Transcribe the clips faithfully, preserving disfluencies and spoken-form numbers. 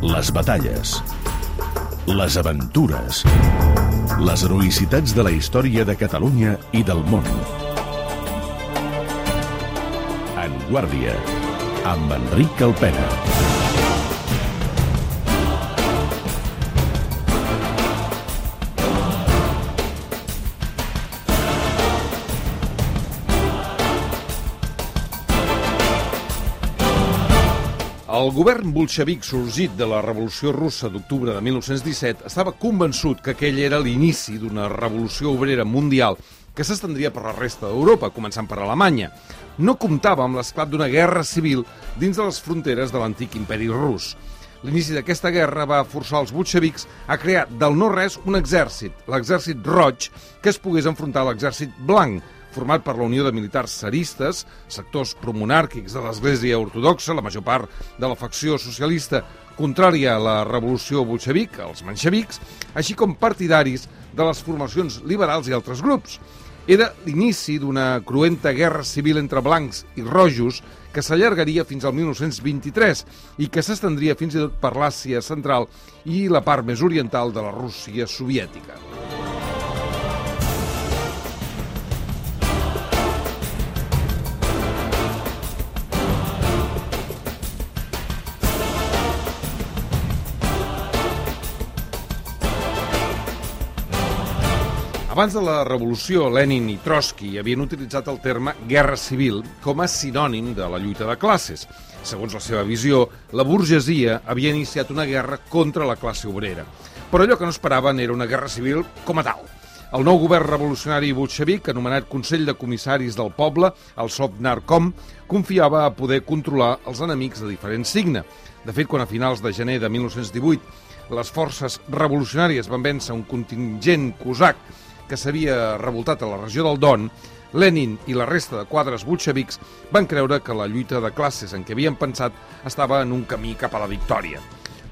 Les batalles, les aventures, les heroïcitats de la història de Catalunya i del món. En Guàrdia, amb Enric Alpena. El govern bolxevic sorgit de la Revolució Russa d'octubre de mil nou-cents disset estava convençut que aquell era l'inici d'una revolució obrera mundial que s'estendria per la resta d'Europa, començant per Alemanya. No comptava amb l'esclat d'una guerra civil dins de les fronteres de l'antic imperi rus. L'inici d'aquesta guerra va forçar els bolxevics a crear del no-res un exèrcit, l'exèrcit roig, que es pogués enfrontar a l'exèrcit blanc, format per la unió de militars tsaristes, sectors promonàrquics de l'Església Ortodoxa, la major part de la facció socialista contrària a la revolució bolxevic, els menxevics, així com partidaris de les formacions liberals i altres grups. Era l'inici d'una cruenta guerra civil entre blancs i rojos que s'allargaria fins al mil nou-cents vint-i-tres i que s'estendria fins i tot per l'Àsia central i la part més oriental de la Rússia soviètica. Abans de la revolució, Lenin i Trotsky havien utilitzat el terme guerra civil com a sinònim de la lluita de classes. Segons la seva visió, la burgesia havia iniciat una guerra contra la classe obrera. Però allò que no esperaven era una guerra civil com a tal. El nou govern revolucionari bolxevic, anomenat Consell de Comissaris del Poble, el Sovnarkom, confiava a poder controlar els enemics de diferent signe. De fet, quan a finals de gener de mil nou-cents divuit les forces revolucionàries van vèncer un contingent cosac que s'havia revoltat a la regió del Don, Lenin i la resta de quadres bolxevics van creure que la lluita de classes en què havien pensat estava en un camí cap a la victòria.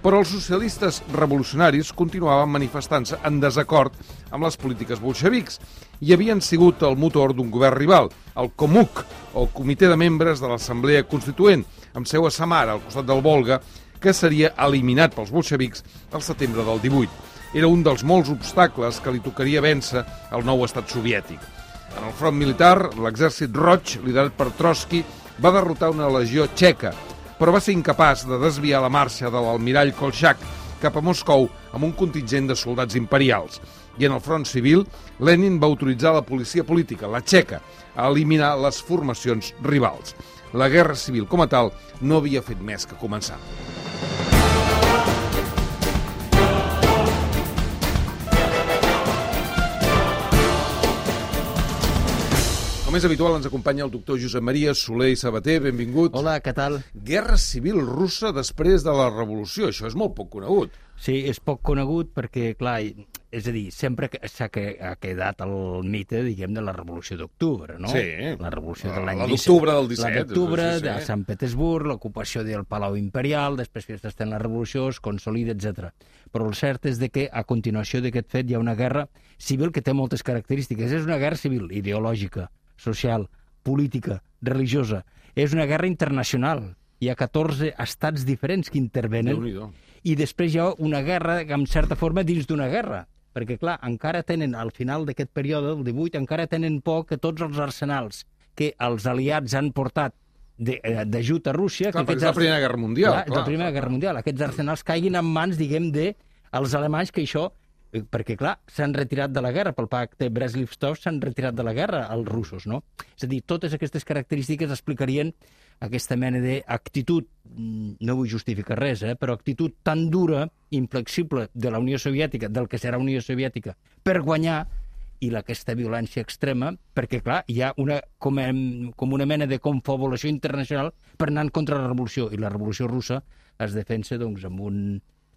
Però els socialistes revolucionaris continuaven manifestant-se en desacord amb les polítiques bolxevics i havien sigut el motor d'un govern rival, el Komuk, o Comitè de Membres de l'Assemblea Constituent, amb seu a Samara, al costat del Volga, que seria eliminat pels bolxevics al setembre del divuit. Era un dels molts obstacles que li tocaria vèncer al nou estat soviètic. En el front militar, l'exèrcit roig, liderat per Trotsky, va derrotar una legió txeca, però va ser incapaç de desviar la marxa de l'almirall Kolchak cap a Moscou amb un contingent de soldats imperials. I en el front civil, Lenin va autoritzar la policia política, la txeca, a eliminar les formacions rivals. La guerra civil, com a tal, no havia fet més que començar. Com és habitual, ens acompanya el doctor Josep Maria Soler i Sabater. Benvingut. Hola, què tal? Guerra civil russa després de la revolució. Això és molt poc conegut. Sí, és poc conegut perquè, clar, és a dir, sempre s'ha quedat el mite, diguem, de la revolució d'octubre, no? Sí. La revolució de l'any disset. La d'octubre del disset. La d'octubre, sí, sí. de Sant Petersburg, l'ocupació del Palau Imperial, després que està en la revolució, es consolida, etcètera. Però el cert és de que, a continuació d'aquest fet, hi ha una guerra civil que té moltes característiques. És una guerra civil ideològica, social, política, religiosa. És una guerra internacional. Hi ha catorze estats diferents que intervenen. Déu-n'hi-do. I després hi ha una guerra, en certa forma, dins d'una guerra. Perquè, clar, encara tenen, al final d'aquest període, el divuit, encara tenen por que tots els arsenals que els aliats han portat d'ajut a Rússia... Clar, perquè és la Primera Guerra Mundial. Clar, és la Primera Guerra Mundial. Aquests arsenals caiguin en mans, diguem, dels alemanys, que això... Perquè, clar, s'han retirat de la guerra, pel pacte Brest-Litovsk s'han retirat de la guerra els russos, no? És a dir, totes aquestes característiques explicarien aquesta mena d'actitud, no vull justificar res, eh, però actitud tan dura, inflexible de la Unió Soviètica, del que serà Unió Soviètica, per guanyar, i aquesta violència extrema, perquè, clar, hi ha una, com, com una mena de confabulació internacional per anar en contra la revolució, i la revolució russa es defensa, doncs, amb un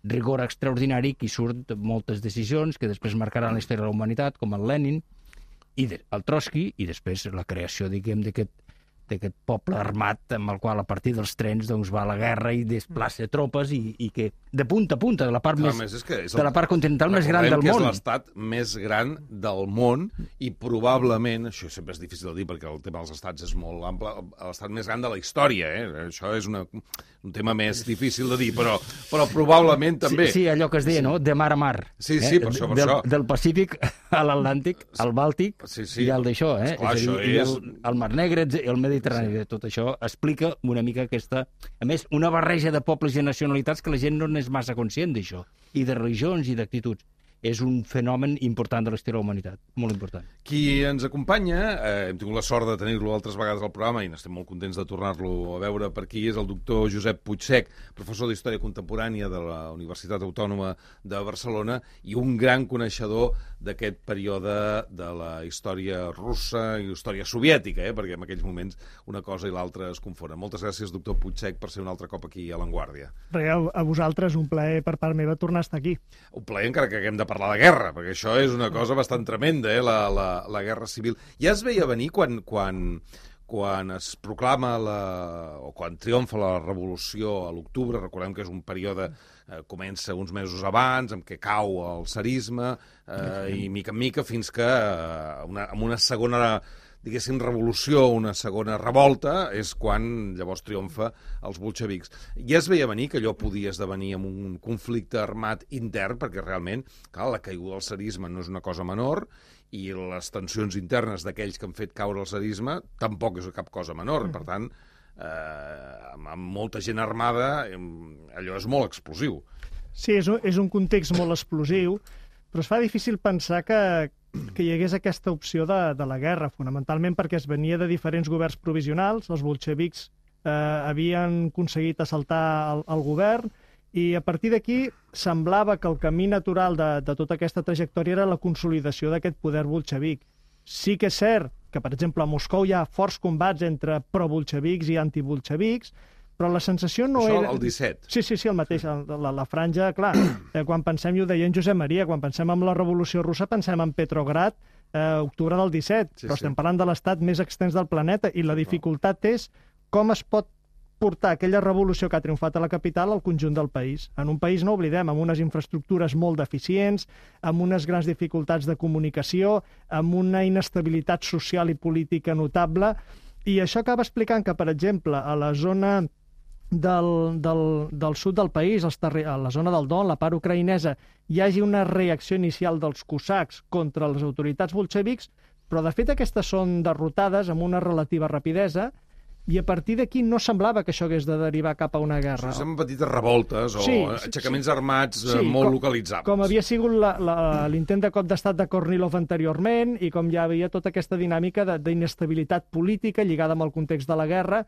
rigor extraordinari que hi surt moltes decisions que després marcaran la història de la humanitat, com el Lenin, i de, el Trotsky, i després la creació, diguem, d'aquest d'aquest poble armat amb el qual a partir dels trens doncs, va a la guerra i desplaça tropes i, i que de punta a punta, de la part, Clar, més, és que és de la part continental més gran del que món. és l'estat més gran del món i probablement, això sempre és difícil de dir perquè el tema dels estats és molt ample, l'estat més gran de la història, eh? Això és una, un tema més difícil de dir, però, però probablement també. Sí, sí, allò que es deia, no?, de mar a mar. Sí, sí, eh? per això, per del, això. Del Pacífic a l'Atlàntic, al Bàltic, sí, sí. i al d'això, eh? Esclar, és a dir, això i és... el, el Mar Negre, el Mediterrani, sí. Tot això explica una mica aquesta... A més, una barreja de pobles i nacionalitats que la gent no n'és massa conscient d'això, i de religions i d'actituds. És un fenomen important de l'història de la humanitat, molt important. Qui ens acompanya, eh, hem tingut la sort de tenir-lo altres vegades al programa i n'estem molt contents de tornar-lo a veure per aquí, és el doctor Josep Puigsech, professor d'Història Contemporània de la Universitat Autònoma de Barcelona i un gran coneixedor d'aquest període de la història russa i història soviètica, eh, perquè en aquells moments una cosa i l'altra es confonen. Moltes gràcies, doctor Puigsech, per ser un altre cop aquí a l'Avantguàrdia. Res, a vosaltres, un plaer per part meva tornar a estar aquí. Un plaer encara que haguem de parlar de guerra, perquè això és una cosa bastant tremenda, eh, la, la, la guerra civil. Ja es veia venir quan, quan, quan es proclama la, o quan triomfa la revolució a l'octubre, recordem que és un període, eh, comença uns mesos abans, amb què cau el tsarisme, eh, i mica en mica fins que eh, una, amb una segona diguéssim, revolució, una segona revolta, és quan llavors triomfa els bolxevics. Ja es veia venir que allò podia esdevenir en un conflicte armat intern, perquè realment, clar, la caiguda del tsarisme no és una cosa menor, i les tensions internes d'aquells que han fet caure el tsarisme tampoc és cap cosa menor. Per tant, eh, amb molta gent armada, allò és molt explosiu. Sí, és un, és un context molt explosiu, però es fa difícil pensar que, que hi hagués aquesta opció de, de la guerra, fonamentalment perquè es venia de diferents governs provisionals, els bolxevics eh, havien aconseguit assaltar el, el govern, i a partir d'aquí semblava que el camí natural de, de tota aquesta trajectòria era la consolidació d'aquest poder bolxevic. Sí que és cert que, per exemple, a Moscou hi ha forts combats entre pro-bolxevics i antibolxevics, però la sensació no Això era... el disset. Sí, sí, sí, el mateix. La, la franja, clar, eh, quan pensem, i ho deia en Josep Maria, quan pensem en la Revolució Russa, pensem en Petrograd, eh, octubre del disset, sí, però sí. estem parlant de l'estat més extens del planeta, i la dificultat és com es pot portar aquella revolució que ha triomfat a la capital al conjunt del país. En un país, no oblidem, amb unes infraestructures molt deficients, amb unes grans dificultats de comunicació, amb una inestabilitat social i política notable, i això acaba explicant que, per exemple, a la zona del, del, del sud del país, als terri... a la zona del Don, la part ucraïnesa, hi hagi una reacció inicial dels cosacs contra les autoritats bolxevics, però de fet aquestes són derrotades amb una relativa rapidesa, i a partir d'aquí no semblava que això hagués de derivar cap a una guerra. Són petites revoltes o sí, aixecaments sí. armats sí, molt com, localitzables. Com havia sigut l'intent de cop d'estat de Kornilov anteriorment, i com ja havia tota aquesta dinàmica d'inestabilitat política lligada amb el context de la guerra.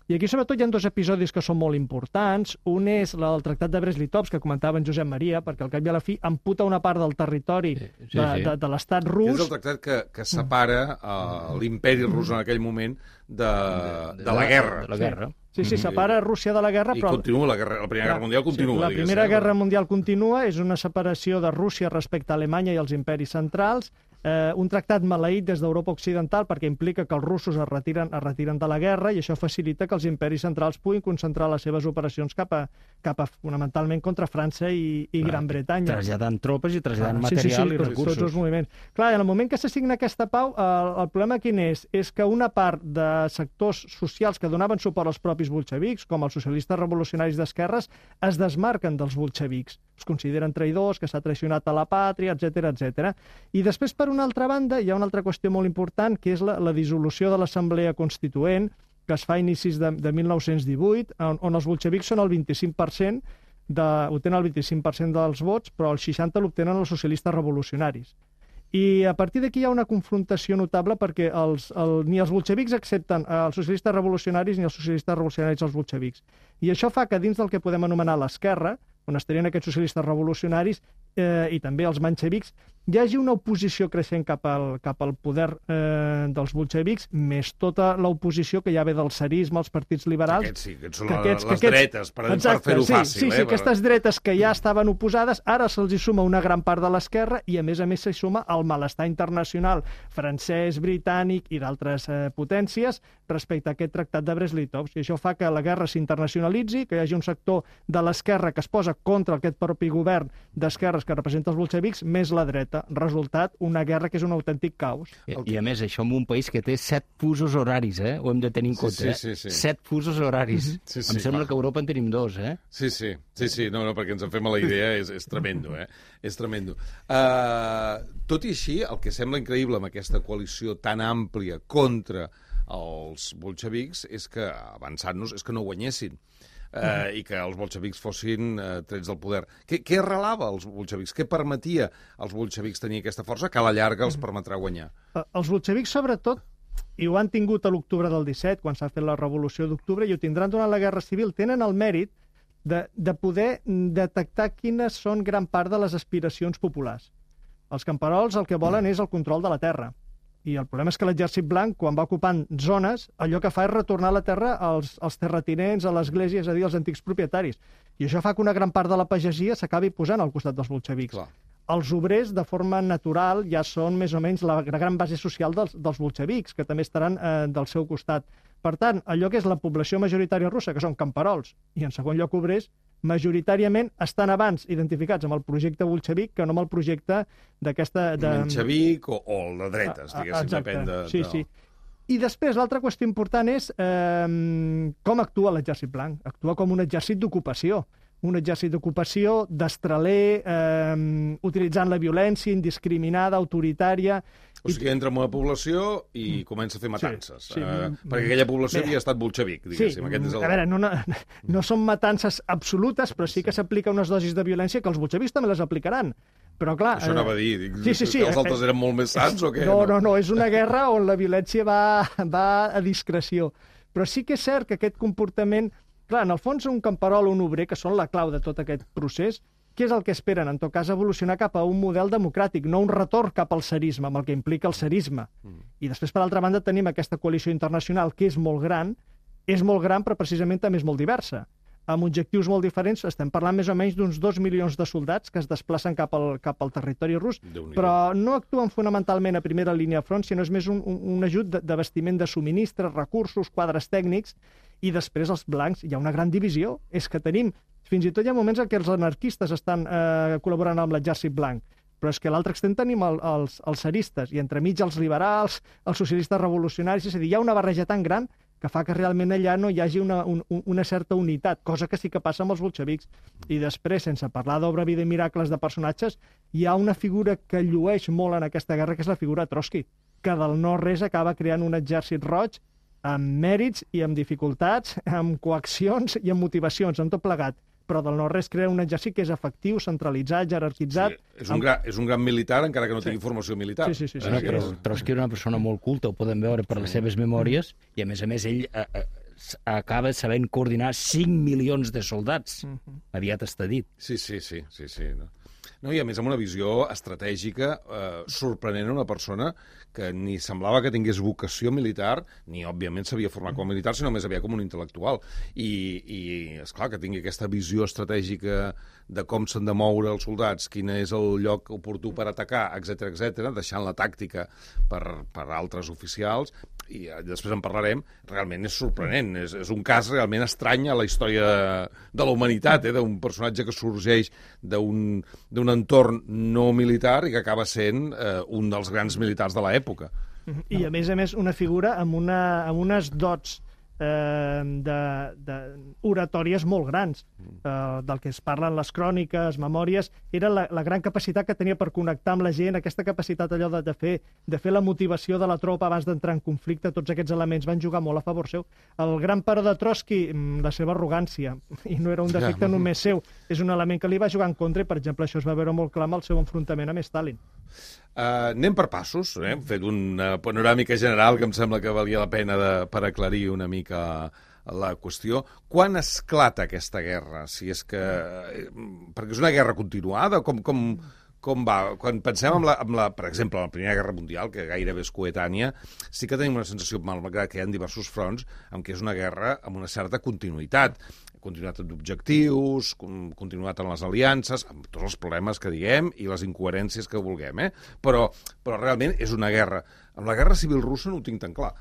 I aquí, sobretot, hi ha dos episodis que són molt importants. Un és el Tractat de Brest-Litovsk, que comentava en Josep Maria, perquè al cap i a la fi amputa una part del territori sí, sí, de, sí. de, de l'estat rus. És el tractat que, que separa uh, l'imperi rus en aquell moment de, de, de la guerra. De la guerra. Sí, sí, separa Rússia de la guerra, I però... I continua, la, guerra, la Primera Guerra Mundial continua. Sí, la digues, Primera eh? Guerra Mundial continua, és una separació de Rússia respecte a Alemanya i els imperis centrals, eh, un tractat maleït des d'Europa Occidental perquè implica que els russos es retiren, es retiren de la guerra, i això facilita que els imperis centrals puguin concentrar les seves operacions cap a, cap a fonamentalment contra França i, i Gran Bretanya. Traslladant tropes i traslladant ah, material sí, sí, sí, i tots, recursos. Tots els moviments. Clar, en el moment que se signa aquesta pau, el, el problema quin és? És que una part de sectors socials que donaven suport als propis bolxevics, com els socialistes revolucionaris d'esquerres, es desmarquen dels bolxevics. Es consideren traïdors, que s'ha traicionat a la pàtria, etcètera, etcètera. I després, per una altra banda, hi ha una altra qüestió molt important, que és la, la dissolució de l'Assemblea Constituent, que es fa a inicis de, de mil nou-cents divuit, on, on els bolxevics són el vint-i-cinc per cent, de, obtenen el vint-i-cinc per cent dels vots, però el seixanta per cent l'obtenen els socialistes revolucionaris. I a partir d'aquí hi ha una confrontació notable perquè els, el, ni els bolxevics accepten els socialistes revolucionaris ni els socialistes revolucionaris els bolxevics. I això fa que dins del que podem anomenar l'esquerra, on estarien aquests socialistes revolucionaris, eh, i també els menxevics, hi hagi una oposició creixent cap al, cap al poder eh, dels bolxevics, més tota l'oposició que ja ve del tsarisme, els partits liberals. Aquests sí, aquests són que aquests, les que aquests, dretes, per, exacte, per fer-ho sí, fàcil. Sí, sí, eh, aquestes dretes que ja estaven oposades, ara se'ls hi suma una gran part de l'esquerra i, a més a més, s'hi suma el malestar internacional francès, britànic i d'altres eh, potències respecte a aquest tractat de Brest-Litovsk. I això fa que la guerra s'internacionalitzi, que hi hagi un sector de l'esquerra que es posa contra aquest propi govern d'esquerres que representa els bolxevics, més la dreta. Resultat, una guerra que és un autèntic caos. I, I a més, això en un país que té set fusos horaris, eh? Ho hem de tenir en compte, sí, eh? sí, sí. Set fusos horaris. Sí, sí, em sembla clar. que a Europa en tenim dos, eh? Sí, sí, sí, sí. No, no, perquè ens en fem a la idea, és, és tremendo, eh? És tremendo. Uh, tot i així, el que sembla increïble amb aquesta coalició tan àmplia contra els bolxevics és que, avançant-nos, és que no guanyessin. Uh, i que els bolxevics fossin uh, trets del poder. Què, què arrelava als bolxevics? Què permetia als bolxevics tenir aquesta força que a la llarga els permetrà guanyar? Els bolxevics, sobretot, i ho han tingut a l'octubre del disset, quan s'ha fet la revolució d'octubre, i ho tindran durant la Guerra Civil, tenen el mèrit de, de poder detectar quines són gran part de les aspiracions populars. Els camperols el que volen és el control de la terra. I el problema és que l'exèrcit blanc, quan va ocupant zones, allò que fa és retornar la terra als, als terratinents, a l'església, és a dir, als antics propietaris. I això fa que una gran part de la pagesia s'acabi posant al costat dels bolxevics. Clar. Els obrers, de forma natural, ja són més o menys la gran base social dels, dels bolxevics, que també estaran eh, del seu costat. Per tant, allò que és la població majoritària russa, que són camperols, i en segon lloc obrers, majoritàriament estan abans identificats amb el projecte bolxevic que no amb el projecte d'aquesta... De... Menxevic o, o el de dretes, diguéssim, Exacte. depèn de... Sí, sí. I després, l'altra qüestió important és eh, com actua l'exèrcit blanc. Actua com un exèrcit d'ocupació. Un exèrcit d'ocupació, destraler, eh, utilitzant la violència indiscriminada, autoritària... O sigui, entra en una població i comença a fer matances. Sí, sí. Uh, perquè aquella població havia estat bolxevic, diguéssim. Sí, Aquest és el... a veure, no, no, no són matances absolutes, però sí que s'aplica unes dosis de violència que els bolxevics també les aplicaran. Però, clar... Això anava a dir. Dic, sí, sí, sí, que els altres eren molt més sants o què? No, no, no, és una guerra on la violència va, va a discreció. Però sí que és cert que aquest comportament... Clar, en el fons, un camperol o un obrer, que són la clau de tot aquest procés, què és el que esperen? En tot cas, evolucionar cap a un model democràtic, no un retorn cap al tsarisme, amb el que implica el tsarisme. Mm. I després, per altra banda, tenim aquesta coalició internacional que és molt gran, és molt gran, però precisament també és molt diversa. Amb objectius molt diferents, estem parlant més o menys d'uns dos milions de soldats que es desplacen cap al, cap al territori rus, però no actuen fonamentalment a primera línia de front, sinó és més un, un, un ajut de, de vestiment de subministres, recursos, quadres tècnics, i després els blancs. Hi ha una gran divisió. És que tenim, fins i tot hi ha moments en què els anarquistes estan eh, col·laborant amb l'exèrcit blanc, però és que a l'altre extrem tenim el, els, els tsaristes, i entremig els liberals, els socialistes revolucionaris, és a dir, hi ha una barreja tan gran que fa que realment allà no hi hagi una, un, una certa unitat, cosa que sí que passa amb els bolxevics. I després, sense parlar d'obra, vida i miracles de personatges, hi ha una figura que llueix molt en aquesta guerra, que és la figura de Trotsky, que del no-res acaba creant un exèrcit roig amb mèrits i amb dificultats, amb coaccions i amb motivacions, amb tot plegat. Però del no-res crea un exèrcit que és efectiu, centralitzat, jerarquitzat... Sí, és, un amb... gran, és un gran militar, encara que no tingui sí. formació militar. Sí, sí, sí. sí, Bueno, sí, però sí. Trotsky era una persona molt culta, ho podem veure per les seves memòries, i a més a més ell eh, eh, acaba sabent coordinar cinc milions de soldats. Mhm. Aviat està dit. Sí, sí, sí, sí, sí. No. No, i a més amb una visió estratègica eh, sorprenent, una persona que ni semblava que tingués vocació militar, ni òbviament s'havia format com a militar, sinó més aviat com un intel·lectual. I, i esclar, que tingui aquesta visió estratègica de com s'han de moure els soldats, quin és el lloc oportú per atacar, etcètera, etcètera, deixant la tàctica per, per altres oficials, i després en parlarem, realment és sorprenent. És, és un cas realment estrany a la història de, de la humanitat, eh? D'un personatge que sorgeix d'un d'un entorn no militar i que acaba sent eh, un dels grans militars de l'època. I, a més a més, una figura amb, una, amb unes dots eh, de, de oratòries molt grans, eh, del que es parlen les cròniques, memòries, era la, la gran capacitat que tenia per connectar amb la gent, aquesta capacitat allò de, de, fer, de fer la motivació de la tropa abans d'entrar en conflicte, tots aquests elements van jugar molt a favor seu. El gran pare de Trotsky, la seva arrogància, i no era un defecte ja. només seu, és un element que li va jugar en contra, i per exemple això es va veure molt clar amb el seu enfrontament amb Stalin. Uh, anem per passos, eh? Hem fet una panoràmica general que em sembla que valia la pena de, per aclarir una mica la qüestió. Quan esclata aquesta guerra? Si és que... Perquè és una guerra continuada? Com, com, com va? Quan pensem en la, en la, per exemple, en la Primera Guerra Mundial, que gairebé és coetània, sí que tenim una sensació, malgrat que hi ha diversos fronts, en què és una guerra amb una certa continuïtat. Continuïtat d'objectius, continuïtat en les aliances, amb tots els problemes que diguem i les incoherències que vulguem, eh? Però, però realment és una guerra. Amb la Guerra Civil Russa no ho tinc tan clar.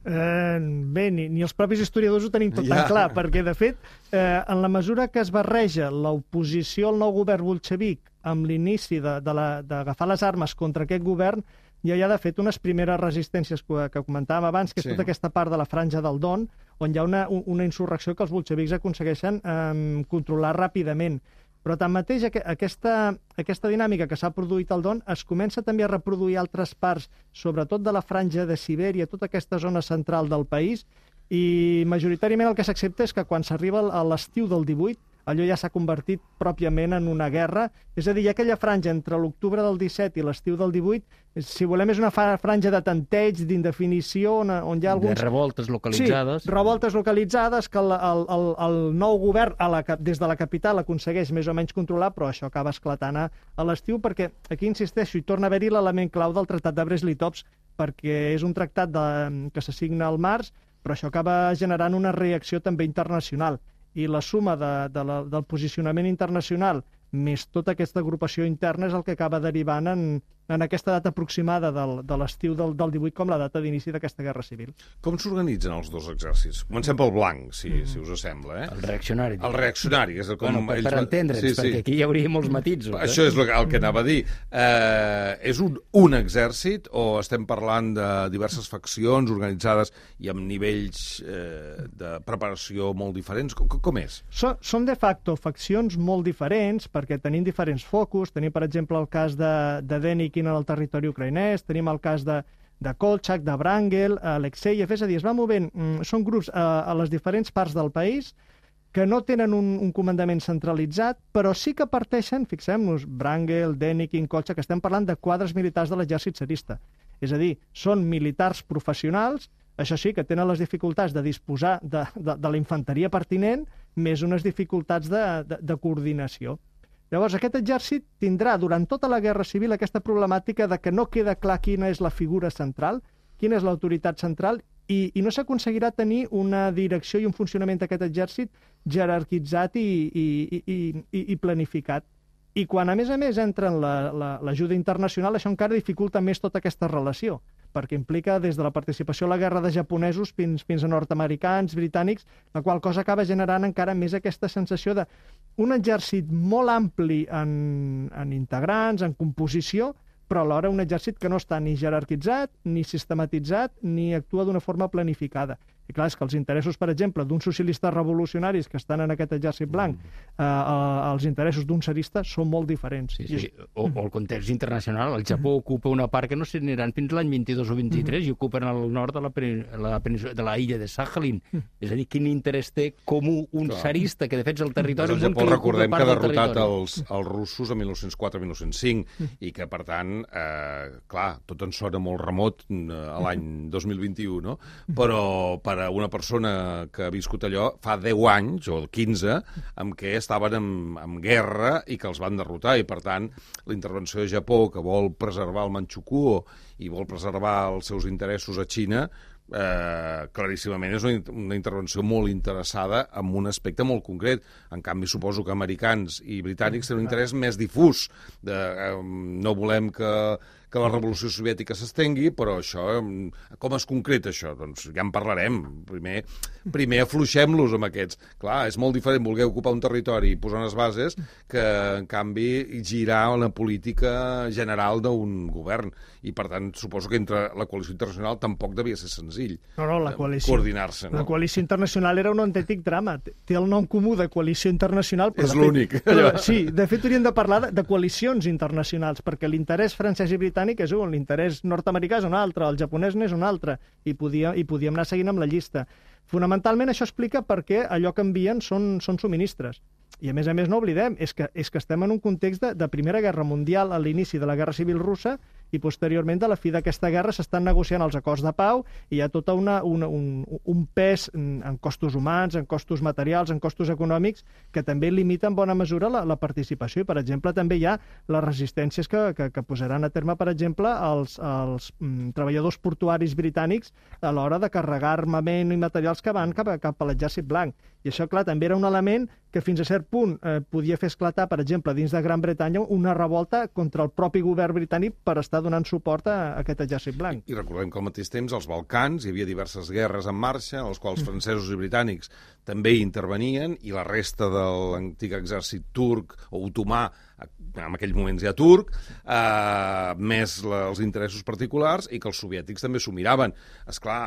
Eh, bé, ni, ni els propis historiadors ho tenim tot ja. tan clar, perquè, de fet, eh, en la mesura que es barreja l'oposició al nou govern bolxevic amb l'inici d'agafar les armes contra aquest govern, ja hi ha, de fet, unes primeres resistències que, que comentàvem abans, que és sí. tota aquesta part de la franja del Don, on hi ha una, una insurrecció que els bolxevics aconsegueixen eh, controlar ràpidament. Però tanmateix aquesta, aquesta dinàmica que s'ha produït al Don es comença també a reproduir altres parts, sobretot de la franja de Sibèria, tota aquesta zona central del país, i majoritàriament el que s'accepta és que quan s'arriba a l'estiu del divuit, allò ja s'ha convertit pròpiament en una guerra. És a dir, hi ha aquella franja entre l'octubre del disset i l'estiu del divuit, si volem és una franja de tanteig, d'indefinició, on, on hi ha alguns... De revoltes localitzades. Sí, revoltes localitzades que el, el, el, el nou govern a la, des de la capital aconsegueix més o menys controlar, però això acaba esclatant a, a l'estiu, perquè aquí insisteixo, i torna a haver-hi l'element clau del Tractat de Brest-Litovsk, perquè és un tractat de, que s'assigna al març, però això acaba generant una reacció també internacional. I la suma de, de la, del posicionament internacional més tota aquesta agrupació interna és el que acaba derivant en, en aquesta data aproximada del, de l'estiu del, del divuit com la data d'inici d'aquesta guerra civil. Com s'organitzen els dos exèrcits? Comencem pel blanc, si, mm. si us sembla. Eh? El reaccionari. El reaccionari. És el com bueno, per ells... per entendre'ns, sí, sí. perquè aquí hi hauria molts matisos. Eh? Això és el, el que anava a dir. Eh, és un, un exèrcit o estem parlant de diverses faccions organitzades i amb nivells eh, de preparació molt diferents? Com, com és? So, són de facto faccions molt diferents perquè tenim diferents focus. Tenim, per exemple, el cas de, de Denikin en el territori ucraïnès, tenim el cas de, de Kolchak, de Wrangel, Alexeyev, és a dir, es va movent, són grups a, a les diferents parts del país que no tenen un, un comandament centralitzat, però sí que parteixen, fixem-nos, Wrangel, Denikin, Kolchak, estem parlant de quadres militars de l'exèrcit tsarista. És a dir, són militars professionals, això sí, que tenen les dificultats de disposar de, de, de la infanteria pertinent, més unes dificultats de, de, de coordinació. Llavors, aquest exèrcit tindrà durant tota la Guerra Civil aquesta problemàtica de que no queda clar quina és la figura central, quina és l'autoritat central, i, i no s'aconseguirà tenir una direcció i un funcionament d'aquest exèrcit jerarquitzat i, i, i, i, i planificat. I quan, a més a més, entra en l'ajuda la, internacional, això encara dificulta més tota aquesta relació, perquè implica des de la participació a la guerra de japonesos fins, fins a nord-americans, britànics, la qual cosa acaba generant encara més aquesta sensació d'un exèrcit molt ampli en, en integrants, en composició, però alhora un exèrcit que no està ni jerarquitzat, ni sistematitzat, ni actua d'una forma planificada. I clar, és que els interessos, per exemple, d'uns socialistes revolucionaris que estan en aquest exèrcit blanc, eh, els interessos d'un tsarista són molt diferents. Sí, sí. O, o el context internacional. El Japó ocupa una part que no se n'aniran fins l'any vint-i-dos o vint-i-tres i ocupen el nord de la, la, de la illa de Sakhalin. És a dir, quin interès té comú un tsarista que defensa el territori... Doncs el Japó, recordem que ha derrotat els, els russos a mil nou-cents quatre mil nou-cents cinc i que, per tant, eh, clar, tot en sona molt remot eh, a l'any dos mil vint-i-u, no? Però per a una persona que ha viscut allò fa deu anys, o quinze, en què estaven en, en guerra i que els van derrotar, i per tant la intervenció de Japó, que vol preservar el Manchukuo i vol preservar els seus interessos a Xina, Eh, claríssimament és una, una intervenció molt interessada en un aspecte molt concret. En canvi, suposo que americans i britànics tenen un interès més difús. De, eh, no volem que, que la revolució soviètica s'estengui, però això, com es concreta això? Doncs ja en parlarem. Primer, primer afluixem-los amb aquests. Clar, és molt diferent voler ocupar un territori i posar unes bases que, en canvi, girar una política general d'un govern. I, per tant, suposo que entre la coalició internacional tampoc devia ser senzill no, no, la coalició, coordinar-se. No? La coalició internacional era un autèntic drama. Té el nom comú de coalició internacional. És l'únic. Sí, de fet hauríem de parlar de, de coalicions internacionals, perquè l'interès francès i britànic és un, l'interès nord-americà és un altre, el japonès n'és un altre, i, podia, i podíem anar seguint amb la llista. Fonamentalment això explica per què allò que envien són, són subministres. I a més a més no oblidem, és que, és que estem en un context de, de Primera Guerra Mundial a l'inici de la Guerra Civil Russa i posteriorment, de la fi d'aquesta guerra, s'estan negociant els acords de pau i hi ha tot una, una, un, un pes en costos humans, en costos materials, en costos econòmics, que també limita en bona mesura la, la participació. I, per exemple, també hi ha les resistències que, que, que posaran a terme, per exemple, els, els mm, treballadors portuaris britànics a l'hora de carregar armament i materials que van cap, a, cap a l'exèrcit blanc. I això, clar, també era un element que fins a cert punt eh, podia fer esclatar, per exemple, dins de Gran Bretanya, una revolta contra el propi govern britànic per estar donant suport a, a aquest exèrcit blanc. I, I recordem que al mateix temps als Balcans hi havia diverses guerres en marxa, en les quals francesos i britànics també hi intervenien, i la resta de l'antic exèrcit turc o otomà, en aquells moments ja turc, eh, més la, els interessos particulars, i que els soviètics també s'ho miraven. Esclar,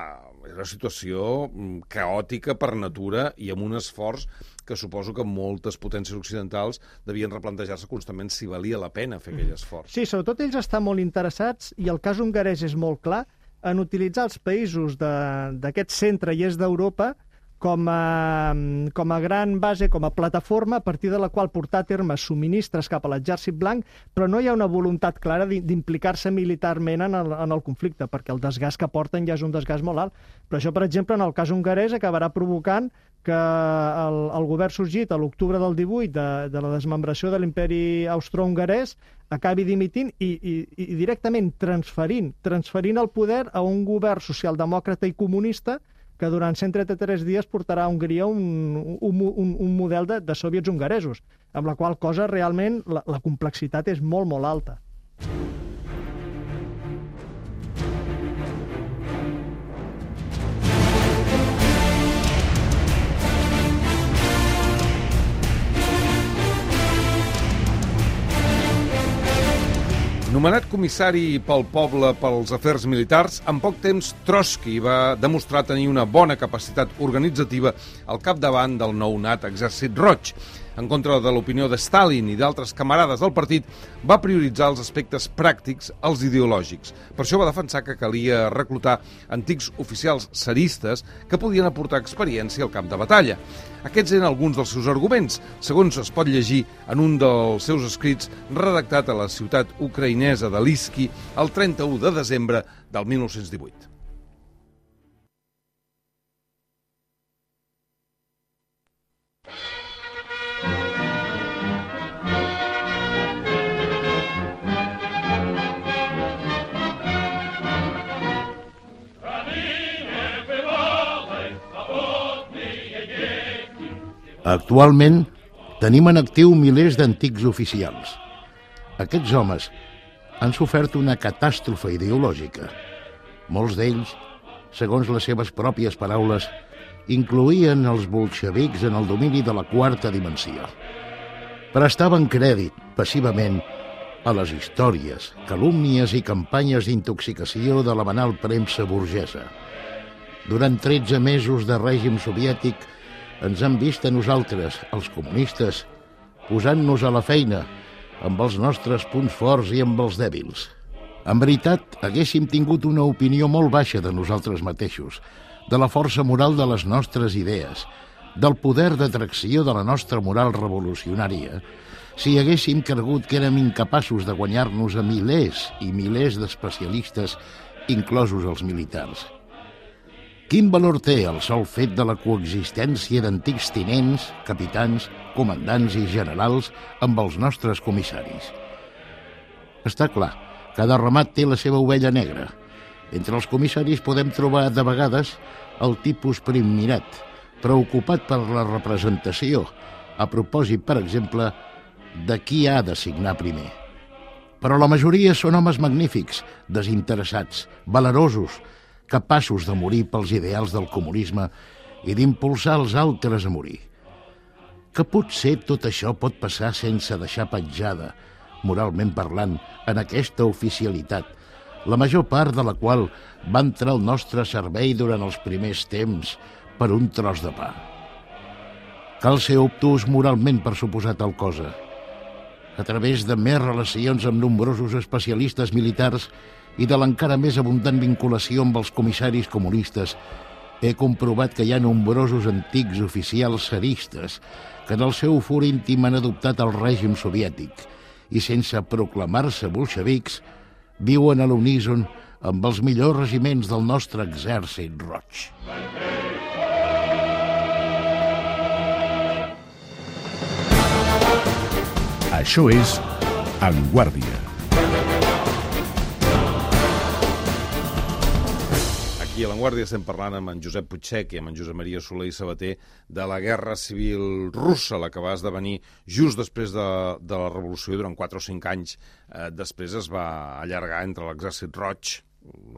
era una situació caòtica per natura i amb un esforç que suposo que moltes potències occidentals devien replantejar-se constantment si valia la pena fer aquell esforç. Sí, sobretot ells estan molt interessats, i el cas hongarès és molt clar, en utilitzar els països d'aquest centre i est d'Europa com a, com a gran base, com a plataforma a partir de la qual portar a terme subministres cap a l'exèrcit blanc, però no hi ha una voluntat clara d'implicar-se militarment en el, en el conflicte, perquè el desgast que porten ja és un desgast molt alt. Però això, per exemple, en el cas hongarès, acabarà provocant que el, el govern sorgit a l'octubre del divuit de, de la desmembració de l'imperi austro-hongarès acabi dimitint i, i, i directament transferint, transferint el poder a un govern socialdemòcrata i comunista que durant cent trenta-tres dies portarà a Hongria un, un, un, un model de, de soviets hongaresos, amb la qual cosa realment la, la complexitat és molt, molt alta. Nomenat comissari pel poble pels afers militars, en poc temps Trotsky va demostrar tenir una bona capacitat organitzativa al capdavant del nounat Exèrcit Roig. En contra de l'opinió de Stalin i d'altres camarades del partit, va prioritzar els aspectes pràctics als ideològics. Per això va defensar que calia reclutar antics oficials tsaristes que podien aportar experiència al camp de batalla. Aquests eren alguns dels seus arguments, segons es pot llegir en un dels seus escrits redactat a la ciutat ucraïnesa de Lysky el trenta-u de desembre del mil nou-cents divuit. Actualment tenim en actiu milers d'antics oficials. Aquests homes han sofert una catàstrofe ideològica. Molts d'ells, segons les seves pròpies paraules, incloïen els bolxevics en el domini de la quarta dimensió. Prestaven crèdit, passivament, a les històries, calúmnies i campanyes d'intoxicació de la banal premsa burgesa. Durant tretze mesos de règim soviètic, ens han vist a nosaltres, els comunistes, posant-nos a la feina amb els nostres punts forts i amb els dèbils. En veritat, haguéssim tingut una opinió molt baixa de nosaltres mateixos, de la força moral de les nostres idees, del poder d'atracció de la nostra moral revolucionària, si haguéssim cregut que érem incapaços de guanyar-nos a milers i milers d'especialistes, inclosos els militars. Quin valor té el sol fet de la coexistència d'antics tinents, capitans, comandants i generals amb els nostres comissaris? Està clar, cada ramat té la seva ovella negra. Entre els comissaris podem trobar, de vegades, el tipus primmirat, preocupat per la representació, a propòsit, per exemple, de qui ha de signar primer. Però la majoria són homes magnífics, desinteressats, valerosos, capaços de morir pels ideals del comunisme i d'impulsar els altres a morir. Que potser tot això pot passar sense deixar petjada, moralment parlant, en aquesta oficialitat, la major part de la qual va entrar al nostre servei durant els primers temps per un tros de pa. Cal ser obtús moralment per suposar tal cosa. A través de més relacions amb nombrosos especialistes militars i de l'encara més abundant vinculació amb els comissaris comunistes, he comprovat que hi ha nombrosos antics oficials tsaristes que en el seu fur íntim han adoptat el règim soviètic i, sense proclamar-se bolxevics, viuen a l'uníson amb els millors regiments del nostre exèrcit roig. Això és En Guàrdia. Aquí a l'Enguàrdia estem parlant amb en Josep Puigsech i amb en Josep Maria Soler i Sabater de la Guerra Civil Russa, la que va esdevenir just després de, de la Revolució, durant quatre o cinc anys eh, després es va allargar entre l'Exèrcit Roig,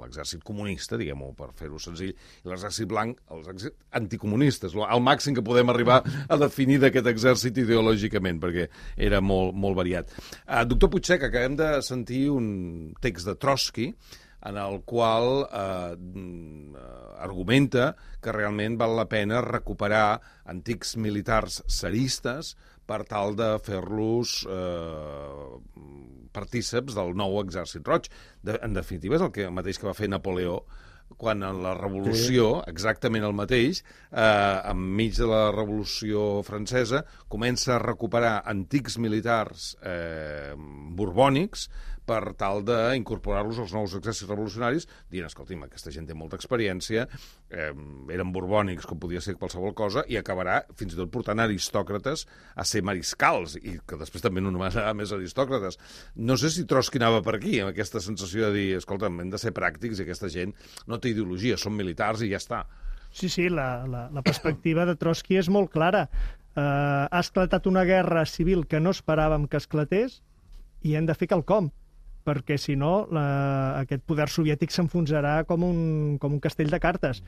l'exèrcit comunista, diguem-ho per fer-ho senzill, i l'exèrcit blanc, els exèrcits anticomunistes, el màxim que podem arribar a definir d'aquest exèrcit ideològicament, perquè era molt, molt variat. Uh, doctor Puigsech, acabem de sentir un text de Trotsky en el qual eh, argumenta que realment val la pena recuperar antics militars tsaristes per tal de fer-los eh, partíceps del nou exèrcit roig. De, en definitiva, és el que el mateix que va fer Napoleó quan en la Revolució, exactament el mateix, eh, enmig de la Revolució Francesa, comença a recuperar antics militars eh, borbònics per tal d'incorporar-los als nous exèrcits revolucionaris, dient, escolti'm, aquesta gent té molta experiència, eh, eren borbònics, com podia ser qualsevol cosa, i acabarà fins i tot portant aristòcrates a ser mariscals, i que després també no només serà més aristòcrates. No sé si Trotsky anava per aquí, amb aquesta sensació de dir, escolta'm, hem de ser pràctics i aquesta gent no té ideologia, són militars i ja està. Sí, sí, la, la, la perspectiva de Trotsky és molt clara. Uh, ha esclatat una guerra civil que no esperàvem que esclatés i hem de fer quelcom, perquè si no la, aquest poder soviètic s'enfonsarà com un, com un castell de cartes.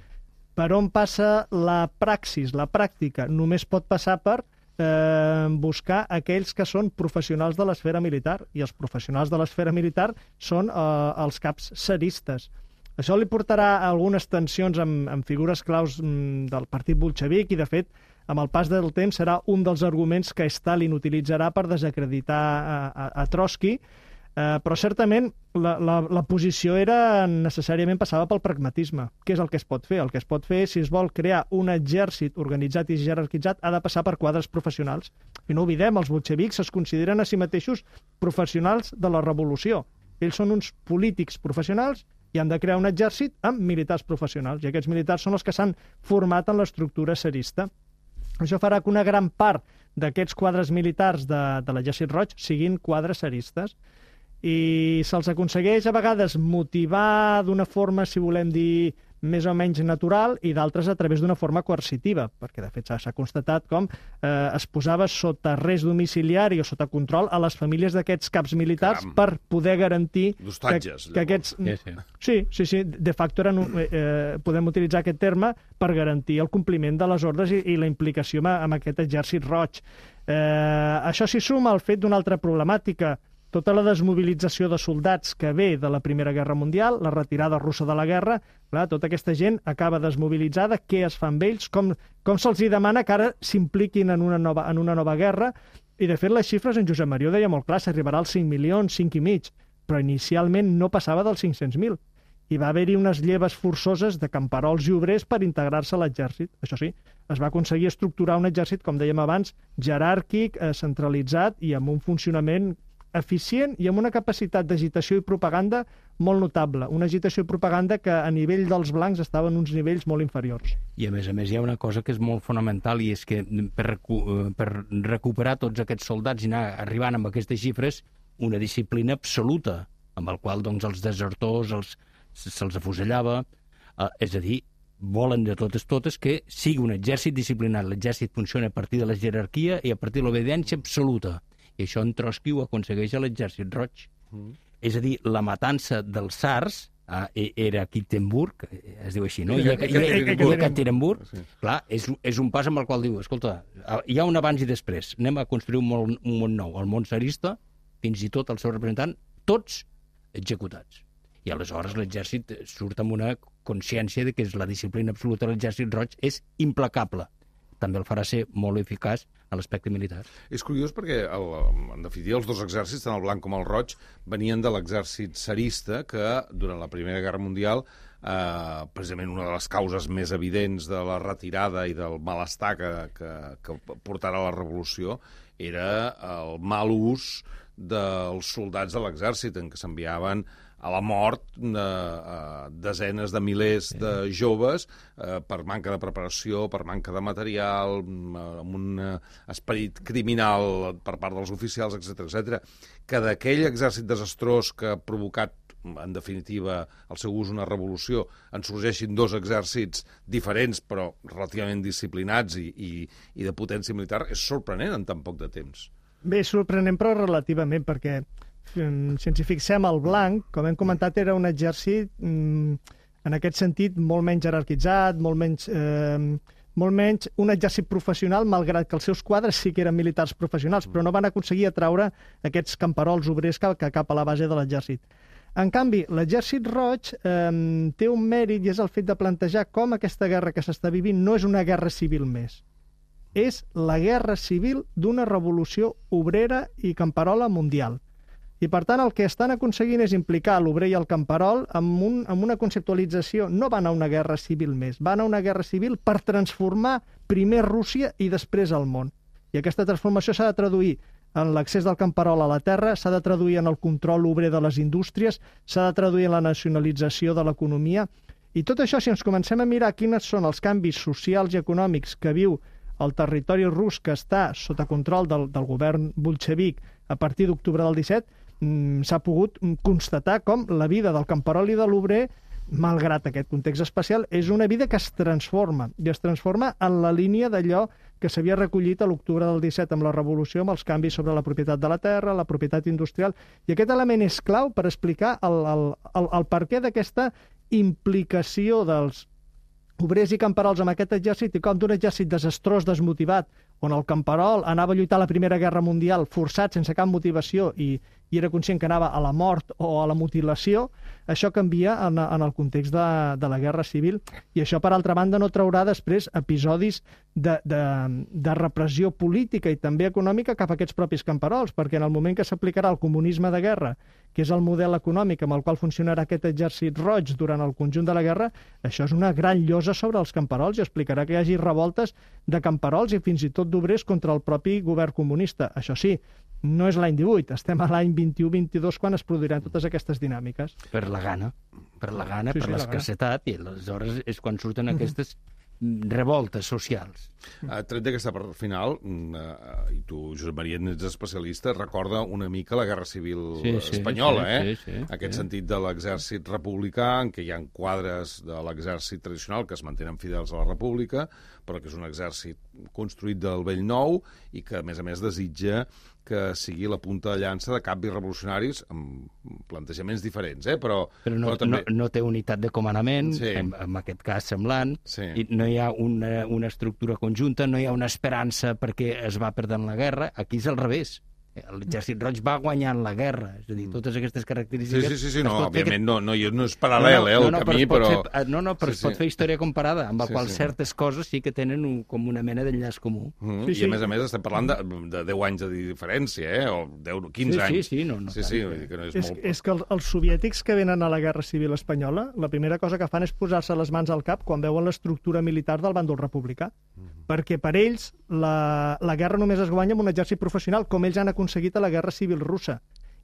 Per on passa la praxis, la pràctica? Només pot passar per eh, buscar aquells que són professionals de l'esfera militar, i els professionals de l'esfera militar són eh, els caps tsaristes. Això li portarà algunes tensions amb, amb figures claus mm, del partit bolxevic i, de fet, amb el pas del temps serà un dels arguments que Stalin utilitzarà per desacreditar a, a, a Trotsky, eh, però certament la, la, la posició era necessàriament passava pel pragmatisme. Què és el que es pot fer? El que es pot fer, si es vol crear un exèrcit organitzat i jerarquitzat, ha de passar per quadres professionals. I no oblidem, els bolxevics es consideren a si mateixos professionals de la revolució. Ells són uns polítics professionals i han de crear un exèrcit amb militars professionals, i aquests militars són els que s'han format en l'estructura tsarista. Això farà que una gran part d'aquests quadres militars de, de l'exèrcit roig siguin quadres tsaristes, i se'ls aconsegueix a vegades motivar d'una forma, si volem dir, més o menys natural, i d'altres a través d'una forma coercitiva, perquè de fet s'ha constatat com eh, es posava sota arrest domiciliari o sota control a les famílies d'aquests caps militars. Caram. Per poder garantir d'hostatges, que, que aquests... Sí, sí. Sí, sí, sí, de facto eren, eh, podem utilitzar aquest terme per garantir el compliment de les ordres i, i la implicació amb, amb aquest exèrcit roig. Eh, això s'hi suma al fet d'una altra problemàtica, tota la desmobilització de soldats que ve de la Primera Guerra Mundial, la retirada russa de la guerra, clar, tota aquesta gent acaba desmobilitzada, què es fa amb ells, com, com se'ls demana que ara s'impliquin en, una nova, en una nova guerra, i de fet les xifres en Josep Maria ho deia molt clar, s'arribarà als cinc milions, cinc i mig, però inicialment no passava dels cinc-cents mil. I va haver-hi unes lleves forçoses de camperols i obrers per integrar-se a l'exèrcit. Això sí, es va aconseguir estructurar un exèrcit, com dèiem abans, jeràrquic, eh, centralitzat i amb un funcionament eficient i amb una capacitat d'agitació i propaganda molt notable. Una agitació i propaganda que a nivell dels blancs estaven uns nivells molt inferiors. I a més a més hi ha una cosa que és molt fonamental, i és que per, recu per recuperar tots aquests soldats i anar arribant amb aquestes xifres, una disciplina absoluta, amb el qual doncs, els desertors els, se'ls afusellava, eh, és a dir, volen de totes totes que sigui un exèrcit disciplinat. L'exèrcit funciona a partir de la jerarquia i a partir de l'obediència absoluta. I això en Trotsky ho aconsegueix a l'exèrcit roig. Mm. És a dir, la matança dels tsars eh, era a Ekaterinburg, es diu així, no? I a Ekaterinburg, sí. Clar, és, és un pas amb el qual diu, escolta, hi ha un abans i després, anem a construir un món, un món nou. El món tsarista, fins i tot el seu representant, tots executats. I aleshores l'exèrcit surt amb una consciència de que la disciplina absoluta de l'exèrcit roig és implacable. També el farà ser molt eficaç a l'aspecte militar. És curiós perquè, el, en definitiva, els dos exèrcits, tant el blanc com el roig, venien de l'exèrcit tsarista que, durant la Primera Guerra Mundial, eh, precisament una de les causes més evidents de la retirada i del malestar que, que, que portarà la revolució era el mal ús dels soldats de l'exèrcit, en què s'enviaven a la mort de uh, desenes de milers de joves uh, per manca de preparació, per manca de material, amb un uh, esperit criminal per part dels oficials, etcètera, etcètera, que d'aquell exèrcit desastrós que ha provocat en definitiva, el seu ús una revolució, en sorgeixin dos exèrcits diferents, però relativament disciplinats i, i, i de potència militar, és sorprenent en tan poc de temps. Bé, sorprenent, però relativament, perquè si ens hi fixem, el blanc, com hem comentat, era un exèrcit, en aquest sentit, molt menys jerarquitzat, molt menys... Eh, molt menys un exèrcit professional, malgrat que els seus quadres sí que eren militars professionals, però no van aconseguir atraure aquests camperols obrers cap, cap a la base de l'exèrcit. En canvi, l'exèrcit roig eh, té un mèrit i és el fet de plantejar com aquesta guerra que s'està vivint no és una guerra civil més. És la guerra civil d'una revolució obrera i camperola mundial. I, per tant, el que estan aconseguint és implicar l'obrer i el camperol amb, un, amb una conceptualització. No van a una guerra civil més, van a una guerra civil per transformar primer Rússia i després el món. I aquesta transformació s'ha de traduir en l'accés del camperol a la terra, s'ha de traduir en el control obrer de les indústries, s'ha de traduir en la nacionalització de l'economia. I tot això, si ens comencem a mirar quins són els canvis socials i econòmics que viu el territori rus que està sota control del, del govern bolxevic a partir d'octubre del disset, s'ha pogut constatar com la vida del camperol i de l'obrer, malgrat aquest context especial, és una vida que es transforma, i es transforma en la línia d'allò que s'havia recollit a l'octubre del disset amb la revolució, amb els canvis sobre la propietat de la terra, la propietat industrial, i aquest element és clau per explicar el, el, el, el perquè d'aquesta implicació dels obrers i camperols amb aquest exèrcit i com d'un exèrcit desastrós, desmotivat, on el camperol anava a lluitar a la Primera Guerra Mundial forçat, sense cap motivació, i, i era conscient que anava a la mort o a la mutilació, això canvia en, en el context de, de la Guerra Civil. I això, per altra banda, no traurà després episodis de, de, de repressió política i també econòmica cap a aquests propis camperols, perquè en el moment que s'aplicarà el comunisme de guerra, que és el model econòmic amb el qual funcionarà aquest exèrcit roig durant el conjunt de la guerra, això és una gran llosa sobre els camperols i explicarà que hi hagi revoltes de camperols i fins i tot d'obrers contra el propi govern comunista. Això sí, no és l'any divuit, estem a l'any vint-i-u vint-i-dos quan es produiran totes aquestes dinàmiques. Per la gana, per la gana, Sí, per sí, la l'escassetat, i aleshores és quan surten aquestes revoltes socials. Uh, tret d'aquesta part final, uh, i tu, Josep Maria, ets especialista, recorda una mica la Guerra Civil Sí, sí, espanyola, sí, eh? sí, sí, Aquest sí. sentit de l'exèrcit republicà, en què hi ha quadres de l'exèrcit tradicional que es mantenen fidels a la República, però que és un exèrcit construït del vell nou i que, a més a més, desitja que sigui la punta de llança de canvis revolucionaris amb plantejaments diferents, eh? però, Però no, però també... no, no té unitat de comandament, Sí. en, en aquest cas semblant, Sí. i no hi ha una, una estructura conjunta, no hi ha una esperança perquè es va perdent la guerra. Aquí és al revés. L'exèrcit roig va guanyant la guerra, és a dir, totes aquestes Sí, característiques... sí, sí, sí, es no, pot fer òbviament que- no, no, no és paral·lel, eh, el no, camí, es pot però... Fer, no, no, però Sí, es pot sí. fer història comparada, amb la Sí, qual sí. certes coses sí que tenen un, com una mena d'enllaç comú. Mm, Sí, I sí. a més a més estem parlant de, de deu anys de diferència, eh? O deu, quinze Sí, sí, anys. sí, no, no sí, tant, sí, eh? vull dir que no és, És, molt... és que el, els soviètics que venen a la Guerra Civil Espanyola, la primera cosa que fan és posar-se les mans al cap quan veuen l'estructura militar del bàndol republicà. Perquè per ells la, la guerra només es guanya amb un exèrcit professional, com ells han aconseguit a la Guerra Civil russa.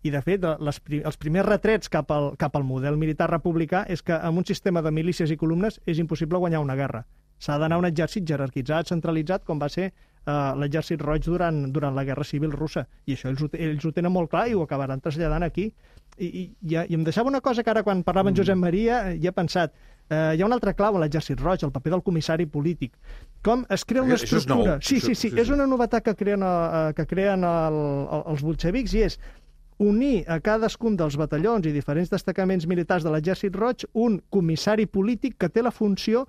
I, de fet, les, els primers retrets cap al, cap al model militar republicà és que amb un sistema de milícies i columnes és impossible guanyar una guerra. S'ha d'anar a un exèrcit jerarquitzat, centralitzat, com va ser eh, l'exèrcit roig durant, durant la Guerra Civil russa. I això ells ho, ells ho tenen molt clar i ho acabaran traslladant aquí. I, i, i, i em deixava una cosa que ara, quan parlava en Josep Maria, hi he pensat. Eh, hi ha un altre clau a l'exèrcit roig, el paper del comissari polític. Com es crea una Això és nou. estructura... Sí, sí, sí, Això- sí, és sí. una novetat que creen, eh, que creen el, el, els bolxevics i és unir a cadascun dels batallons i diferents destacaments militars de l'exèrcit roig un comissari polític que té la funció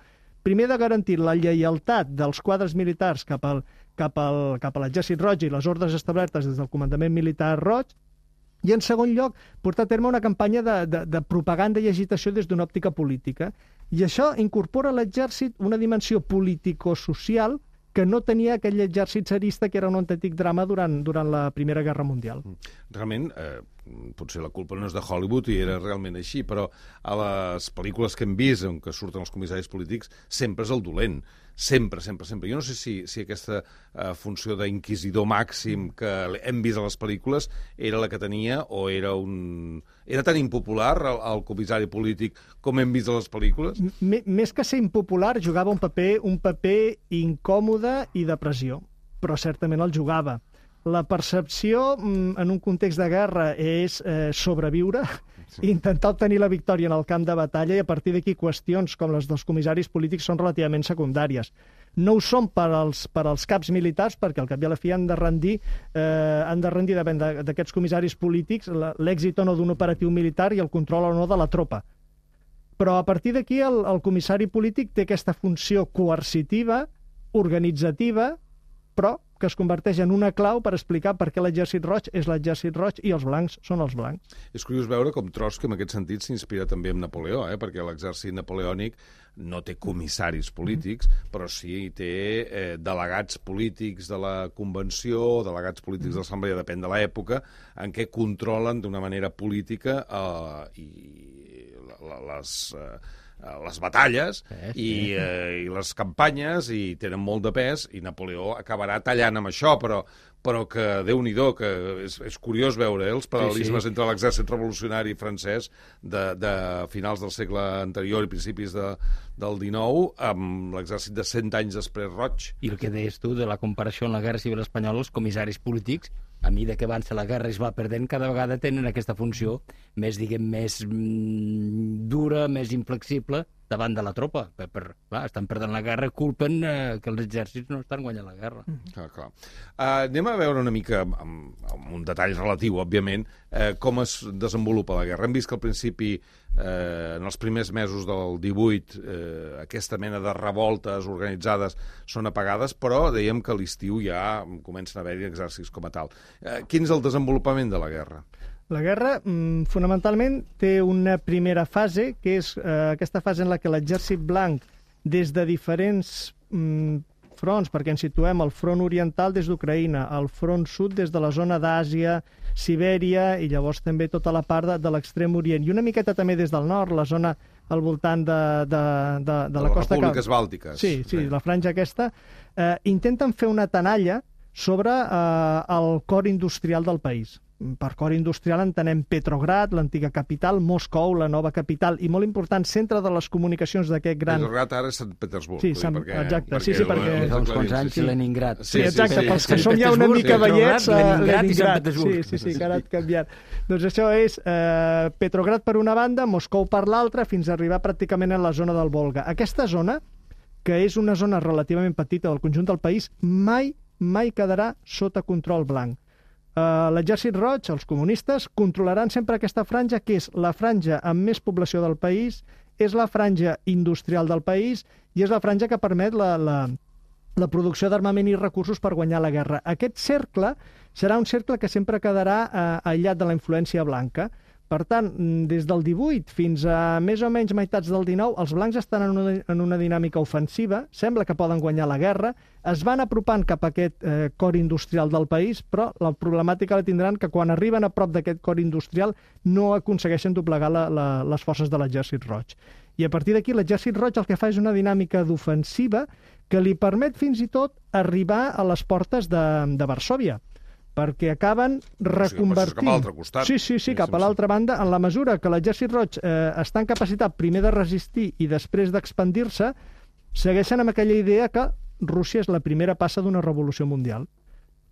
primer de garantir la lleialtat dels quadres militars cap al, cap al, cap a l'exèrcit roig i les ordres establertes des del comandament militar roig, i en segon lloc portar a terme una campanya de, de, de propaganda i agitació des d'una òptica política. I això incorpora a l'exèrcit una dimensió político-social que no tenia aquell exèrcit tsarista que era un autèntic drama durant, durant la Primera Guerra Mundial. Realment, eh, potser la culpa no és de Hollywood i era realment així, però a les pel·lícules que hem vist en què surten els comissaris polítics sempre és el dolent. Sempre, sempre, sempre. Jo no sé si, si aquesta uh, funció d'inquisidor màxim que hem vist a les pel·lícules era la que tenia o era un... Era tan impopular el, el comissari polític com hem vist a les pel·lícules? M més que ser impopular, jugava un paper, un paper incòmode i de pressió, però certament el jugava. La percepció en un context de guerra és eh, sobreviure, sí. intentar obtenir la victòria en el camp de batalla i a partir d'aquí qüestions com les dels comissaris polítics són relativament secundàries. No ho són per als, per als caps militars, perquè al cap i a la fi han de rendir, eh, han de rendir davant d'aquests comissaris polítics l'èxit o no d'un operatiu militar i el control o no de la tropa. Però a partir d'aquí el, el comissari polític té aquesta funció coercitiva, organitzativa, però que es converteix en una clau per explicar per què l'exèrcit roig és l'exèrcit roig i els blancs són els blancs. És curiós veure com Trotsky, en aquest sentit, s'inspira també en Napoleó, eh? perquè l'exèrcit napoleònic no té comissaris polítics, mm. però sí té eh, delegats polítics de la convenció, delegats polítics de l'assemblea, depèn de l'època, en què controlen d'una manera política eh, i les... Eh, les batalles eh, i, eh, i les campanyes i tenen molt de pes i Napoleó acabarà tallant amb això, però, però que Déu-n'hi-do, que és, és curiós veure eh, els paral·lelismes sí, sí. entre l'exèrcit revolucionari francès de, de finals del segle anterior i principis de, del dinou amb l'exèrcit de cent anys després roig. I el que deies tu de la comparació en la Guerra Civil Espanyola, els comissaris polítics, a mesura que avança la guerra i es va perdent, cada vegada tenen aquesta funció més, diguem, més mm, dura, més inflexible davant de la tropa. Per, per, clar, estan perdent la guerra, culpen eh, que els exèrcits no estan guanyant la guerra. Mm. Clar, clar. Uh, anem a veure una mica, amb, amb un detall relatiu, òbviament, eh, com es desenvolupa la guerra. Hem vist que al principi, eh, en els primers mesos del divuit, eh, aquesta mena de revoltes organitzades són apagades, però dèiem que a l'estiu ja comencen a haver-hi exèrcits com a tal. Eh, quin és el desenvolupament de la guerra? La guerra, mm, fonamentalment, té una primera fase, que és eh, aquesta fase en la que l'exèrcit blanc, des de diferents mm, fronts, perquè ens situem al front oriental des d'Ucraïna, al front sud des de la zona d'Àsia, Sibèria i llavors també tota la part de, de l'extrem orient. I una miqueta també des del nord, la zona al voltant de, de, de, de, de la costa... Les repúbliques bàltiques. Sí, sí, la franja aquesta. Eh, intenten fer una tenalla sobre eh, el cor industrial del país. Per cor industrial entenem Petrograd, l'antiga capital, Moscou, la nova capital, i molt important, centre de les comunicacions d'aquest gran... Petrograd ara és Sant Petersburg. Sí, Sant... perquè, exacte, perquè, sí, sí, perquè... Fa uns quants anys, sí. Leningrad. Sí, exacte, pels que som ja una mica veiets, Leningrad i Sant Petersburg. Sí, sí, sí, que ara ha canviat. Doncs això és eh, Petrograd per una banda, Moscou per l'altra, fins a arribar pràcticament a la zona del Volga. Aquesta zona, que és una zona relativament petita del conjunt del país, mai, mai quedarà sota control blanc. Uh, l'exèrcit roig, els comunistes, controlaran sempre aquesta franja, que és la franja amb més població del país, és la franja industrial del país i és la franja que permet la, la, la producció d'armament i recursos per guanyar la guerra. Aquest cercle serà un cercle que sempre quedarà uh, aïllat de la influència blanca. Per tant, des del divuit fins a més o menys meitats del dinou, els blancs estan en una, en una dinàmica ofensiva, sembla que poden guanyar la guerra, es van apropant cap a aquest eh, cor industrial del país, però la problemàtica la tindran que quan arriben a prop d'aquest cor industrial no aconsegueixen doblegar la, la, les forces de l'exèrcit roig. I a partir d'aquí l'exèrcit roig el que fa és una dinàmica d'ofensiva que li permet fins i tot arribar a les portes de, de Varsòvia, perquè acaben reconvertint... Cap a l'altre costat. Sí, sí, sí, cap a l'altra banda, en la mesura que l'exèrcit roig eh, està en capacitat primer de resistir i després d'expandir-se, segueixen amb aquella idea que Rússia és la primera passa d'una revolució mundial.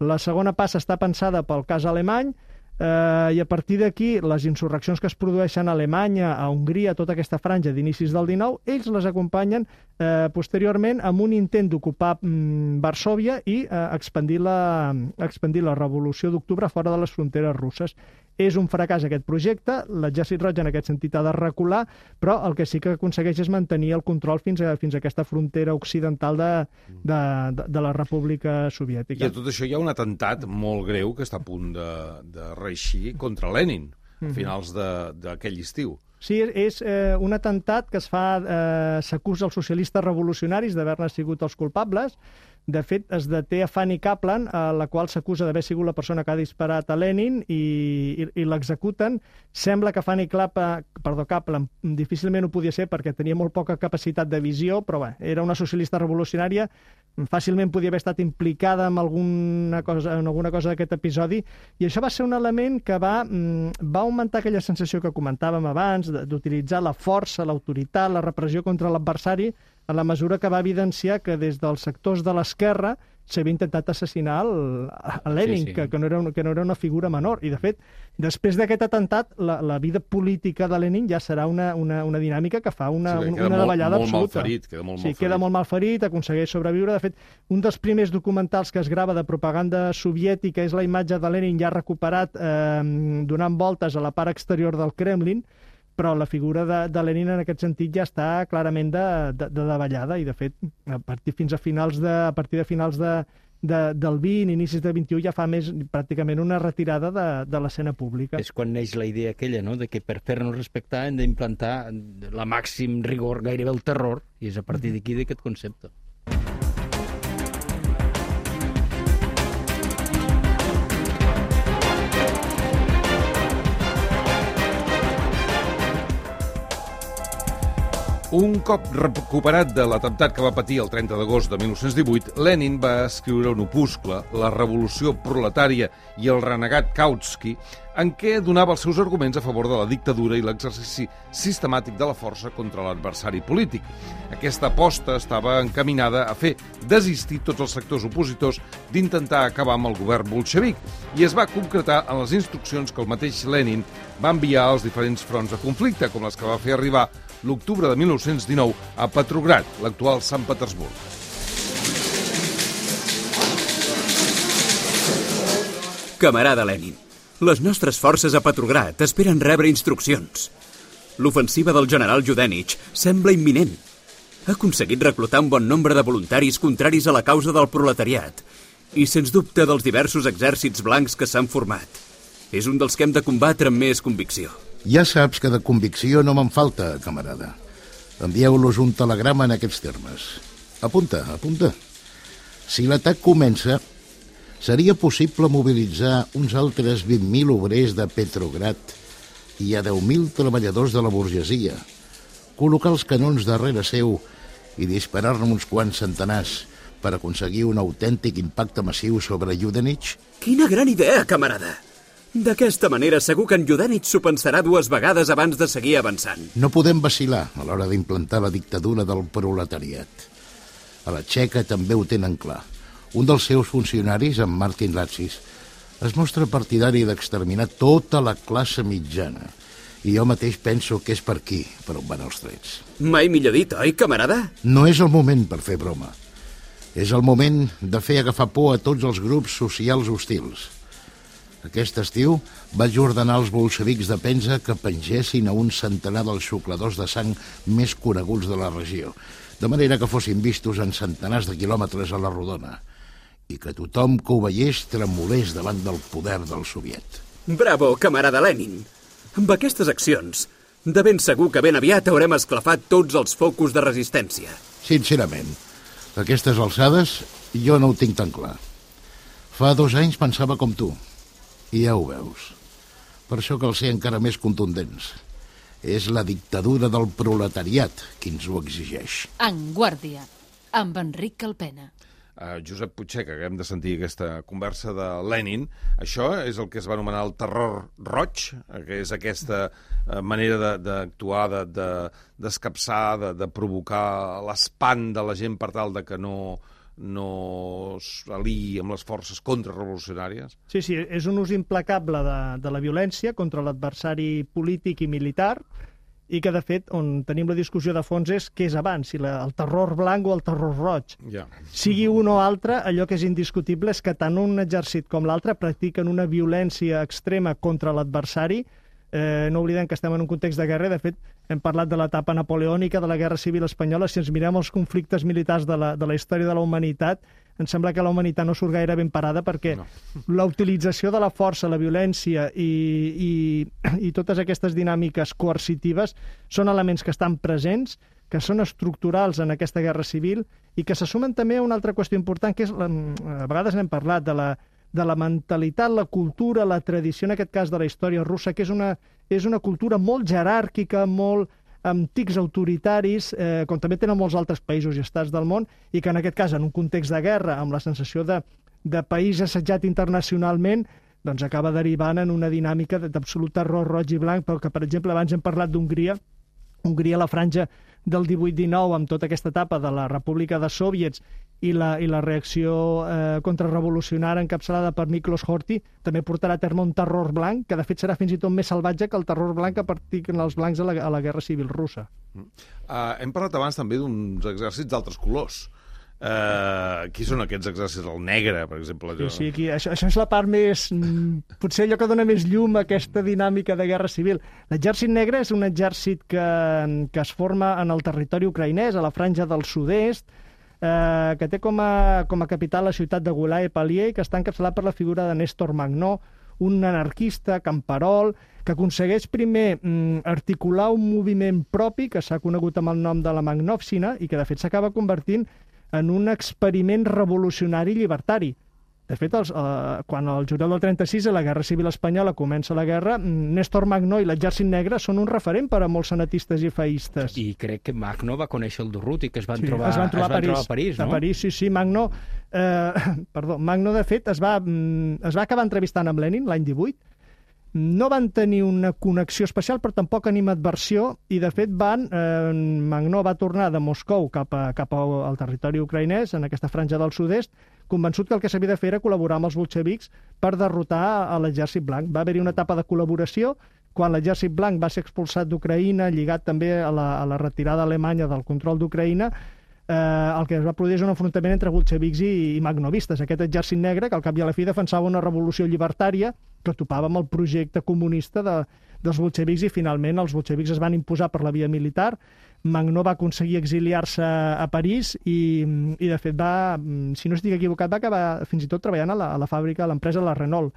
La segona passa està pensada pel cas alemany, eh, i a partir d'aquí les insurreccions que es produeixen a Alemanya, a Hongria, tota aquesta franja d'inicis del dinou, ells les acompanyen eh, posteriorment amb un intent d'ocupar mm, Varsòvia i eh, expandir, la, expandir la revolució d'octubre fora de les fronteres russes. És un fracàs aquest projecte, l'exèrcit roig en aquest sentit ha de recular, però el que sí que aconsegueix és mantenir el control fins a, fins a aquesta frontera occidental de, de, de, de la República Soviètica. I a tot això hi ha un atemptat molt greu que està a punt de, de reeixir contra Lenin, a finals d'aquell estiu. Sí, és eh, un atemptat que es fa, eh, s'acusa els socialistes revolucionaris d'haver-ne sigut els culpables, De fet, es deté a Fanny Kaplan, a la qual s'acusa d'haver sigut la persona que ha disparat a Lenin i, i, i l'executen. Sembla que Fanny Kaplan, perdó, Kaplan difícilment ho podia ser perquè tenia molt poca capacitat de visió, però bé, era una socialista revolucionària, fàcilment podia haver estat implicada en alguna cosa, en alguna cosa d'aquest episodi, i això va ser un element que va, va augmentar aquella sensació que comentàvem abans, d'utilitzar la força, l'autoritat, la repressió contra l'adversari, a la mesura que va evidenciar que des dels sectors de l'esquerra s'havia intentat assassinar el, a Lenin, sí, sí. Que, que, no era una, que no era una figura menor. I, de fet, després d'aquest atemptat, la, la vida política de Lenin ja serà una, una, una dinàmica que fa una, sí, una, una davallada molt, molt absoluta. Malferit, queda molt sí, malferit. queda molt malferit, aconsegueix sobreviure. De fet, un dels primers documentals que es grava de propaganda soviètica és la imatge de Lenin ja recuperat eh, donant voltes a la part exterior del Kremlin, però la figura de, de Lenin en aquest sentit ja està clarament de, de, de davallada, i de fet, a partir fins a finals de, a partir de finals de, de, del vint, inicis del vint-i-u, ja fa més pràcticament una retirada de, de l'escena pública. És quan neix la idea aquella, no?, de que per fer-nos respectar hem d'implantar la màxim rigor, gairebé el terror, i és a partir d'aquí d'aquest concepte. Un cop recuperat de l'atemptat que va patir el trenta d'agost de mil nou-cents divuit, Lenin va escriure un opuscle, La revolució proletària i el renegat Kautsky, en què donava els seus arguments a favor de la dictadura i l'exercici sistemàtic de la força contra l'adversari polític. Aquesta aposta estava encaminada a fer desistir tots els sectors opositors d'intentar acabar amb el govern bolxevic, i es va concretar en les instruccions que el mateix Lenin va enviar als diferents fronts de conflicte, com les que va fer arribar l'octubre de mil nou-cents dinou a Petrograd, l'actual Sant Petersburg. Camarada Lenin, les nostres forces a Petrograd esperen rebre instruccions. L'ofensiva del general Yudenich sembla imminent. Ha aconseguit reclutar un bon nombre de voluntaris contraris a la causa del proletariat i, sens dubte, dels diversos exèrcits blancs que s'han format. És un dels que hem de combatre amb més convicció. Ja saps que de convicció no me'n falta, camarada. Envieu-los un telegrama en aquests termes. Apunta, apunta. Si l'atac comença, seria possible mobilitzar uns altres vint mil obrers de Petrograd i a deu mil treballadors de la burgesia, col·locar els canons darrere seu i disparar-ne uns quants centenars per aconseguir un autèntic impacte massiu sobre Yudenich? Quina gran idea, camarada! D'aquesta manera segur que en Yudenich s'ho pensarà dues vegades abans de seguir avançant. No podem vacilar a l'hora d'implantar la dictadura del proletariat. A la Txeca també ho tenen clar. Un dels seus funcionaris, en Martin Latsis, es mostra partidari d'exterminar tota la classe mitjana. I jo mateix penso que és per aquí, per on van els trets. Mai millor dit, oi, camarada? No és el moment per fer broma. És el moment de fer agafar por a tots els grups socials hostils. Aquest estiu vaig ordenar als bolxevics de Penza que pengessin a un centenar dels xucladors de sang més coneguts de la regió, de manera que fossin vistos en centenars de quilòmetres a la rodona, i que tothom que ho veiés tremolés davant del poder del soviet. Bravo, camarada Lenin! Amb aquestes accions, de ben segur que ben aviat haurem esclafat tots els focus de resistència. Sincerament, a aquestes alçades jo no ho tinc tan clar. Fa dos anys pensava com tu, i ja ho veus. Per això cal ser encara més contundents. És la dictadura del proletariat qui ens ho exigeix. En Guàrdia, amb Enric Calpena. Uh, Josep Puigcer, que acabem de sentir aquesta conversa de Lenin, això és el que es va anomenar el terror roig, que és aquesta uh, manera d'actuar, de, de, d'escapçar, de, de provocar l'espant de la gent per tal de que no... no s'aliï amb les forces contrarrevolucionàries? Sí, sí, és un ús implacable de, de la violència contra l'adversari polític i militar, i que, de fet, on tenim la discussió de fons és què és abans, si la, el terror blanc o el terror roig. Ja. Sigui un o altre, allò que és indiscutible és que tant un exèrcit com l'altre practiquen una violència extrema contra l'adversari. Eh, no oblidem que estem en un context de guerra. De fet, hem parlat de l'etapa napoleònica de la Guerra Civil Espanyola. Si ens mirem els conflictes militars de la, de la història de la humanitat, em sembla que la humanitat no surt gaire ben parada, perquè no. La utilització de la força, la violència i, i, i totes aquestes dinàmiques coercitives són elements que estan presents que són estructurals en aquesta guerra civil i que se sumen també a una altra qüestió important, que és, la, a vegades n'hem parlat, de la, de la mentalitat, la cultura, la tradició, en aquest cas de la història russa, que és una, és una cultura molt jeràrquica, molt amb tics autoritaris, eh, com també tenen molts altres països i estats del món, i que en aquest cas, en un context de guerra, amb la sensació de, de país assetjat internacionalment, doncs acaba derivant en una dinàmica d'absolut terror roig i blanc, però que, per exemple, abans hem parlat d'Hongria, Hongria, la franja del divuit dinou, amb tota aquesta etapa de la República de Sòviets i la, i la reacció eh, contrarrevolucionària encapçalada per Miklos Horthy, també portarà a terme un terror blanc, que de fet serà fins i tot més salvatge que el terror blanc que practiquen els blancs a la, a la Guerra Civil russa. Uh, hem parlat abans també d'uns exèrcits d'altres colors. Uh, qui són aquests exèrcits? El negre, per exemple. Sí, sí, aquí, això, això és la part més... Potser allò que dona més llum a aquesta dinàmica de guerra civil. L'exèrcit negre és un exèrcit que, que es forma en el territori ucraïnès, a la franja del sud-est, eh, que té com a, com a capital la ciutat de Gulaye-Palier, que està encapçalat per la figura de Néstor Magnó, un anarquista, camperol, que aconsegueix primer mm, articular un moviment propi que s'ha conegut amb el nom de la Magnovщина i que de fet s'acaba convertint en un experiment revolucionari llibertari. De fet, els, eh, quan el juliol del trenta-sis, a la Guerra Civil Espanyola, comença la guerra, Néstor Magnó i l'exèrcit negre són un referent per a molts senatistes i feïstes. I crec que Magnó va conèixer el Durruti, que es van, sí, trobar, es van trobar, es van a París, trobar a París, no? A París, sí, sí. Magnó, eh, perdó, Magnó, de fet, es va, es va acabar entrevistant amb Lenin l'any divuit. No van tenir una connexió especial, però tampoc animadversió, i de fet van, eh, Magnó va tornar de Moscou cap, a, cap al territori ucraïnès, en aquesta franja del sud-est, convençut que el que s'havia de fer era col·laborar amb els bolxevics per derrotar a l'exèrcit blanc. Va haver-hi una etapa de col·laboració, quan l'exèrcit blanc va ser expulsat d'Ucraïna, lligat també a la, a la retirada alemanya del control d'Ucraïna, eh, el que es va produir és un enfrontament entre bolxevics i, i magnovistes. Aquest exèrcit negre, que al cap i a la fi defensava una revolució llibertària, que topava amb el projecte comunista de, dels bolxevics, i finalment els bolxevics es van imposar per la via militar. Magnó va aconseguir exiliar-se a París i, i de fet va, si no estic equivocat, va acabar fins i tot treballant a la, a la fàbrica, a l'empresa La Renault.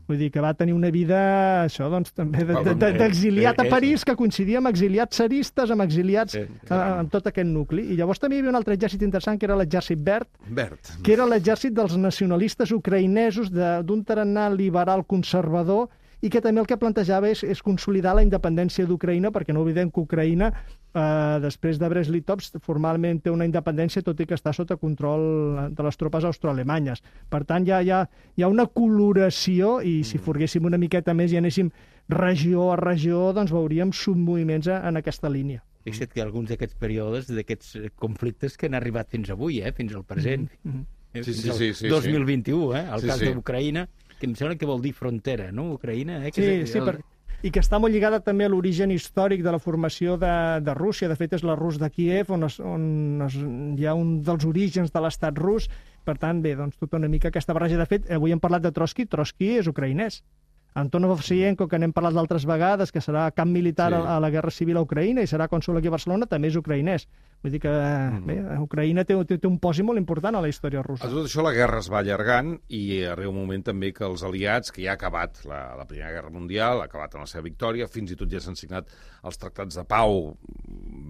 Vull dir que va tenir una vida, això, doncs, també d'exiliat de, de, de, a París, que coincidia amb exiliats tsaristes, amb exiliats, eh, amb tot aquest nucli. I llavors també hi havia un altre exèrcit interessant, que era l'exèrcit verd, verd, que era l'exèrcit dels nacionalistes ucraïnesos d'un tarannà liberal conservador, i que també el que plantejava és, és consolidar la independència d'Ucraïna, perquè no oblidem que Ucraïna, eh, després de Brest-Litovsk, formalment té una independència, tot i que està sota control de les tropes austroalemanyes. Per tant, hi ha, hi ha, hi ha una coloració, i si forguéssim una miqueta més i anéssim regió a regió, doncs veuríem submoviments en aquesta línia. Fixa't que alguns d'aquests períodes, d'aquests conflictes que han arribat fins avui, eh, fins al present, Mm-hmm. eh, Sí, fins sí, al sí, sí, dos mil vint-i-u, eh, el Sí, cas sí. d'Ucraïna, que em sembla que vol dir frontera, no?, Ucraïna. Eh? Que Sí, és, sí, el... per... i que està molt lligada també a l'origen històric de la formació de, de Rússia. De fet, és la Rus de Kíev, on, es, on es, hi ha un dels orígens de l'estat rus. Per tant, bé, doncs tota una mica aquesta barreja. De fet, avui hem parlat de Trotsky. Trotsky és ucraïnès. Antonov Ovsienko, que n'hem parlat d'altres vegades, que serà camp militar sí. a, a la Guerra Civil a Ucraïna i serà cònsol aquí a Barcelona, també és ucraïnès. Vull dir que mm. bé, Ucraïna té, té, té un posi molt important a la història russa. A tot això la guerra es va allargant i arriba un moment també que els aliats, que ja ha acabat la, la Primera Guerra Mundial, ha acabat amb la seva victòria, fins i tot ja s'han signat els tractats de pau,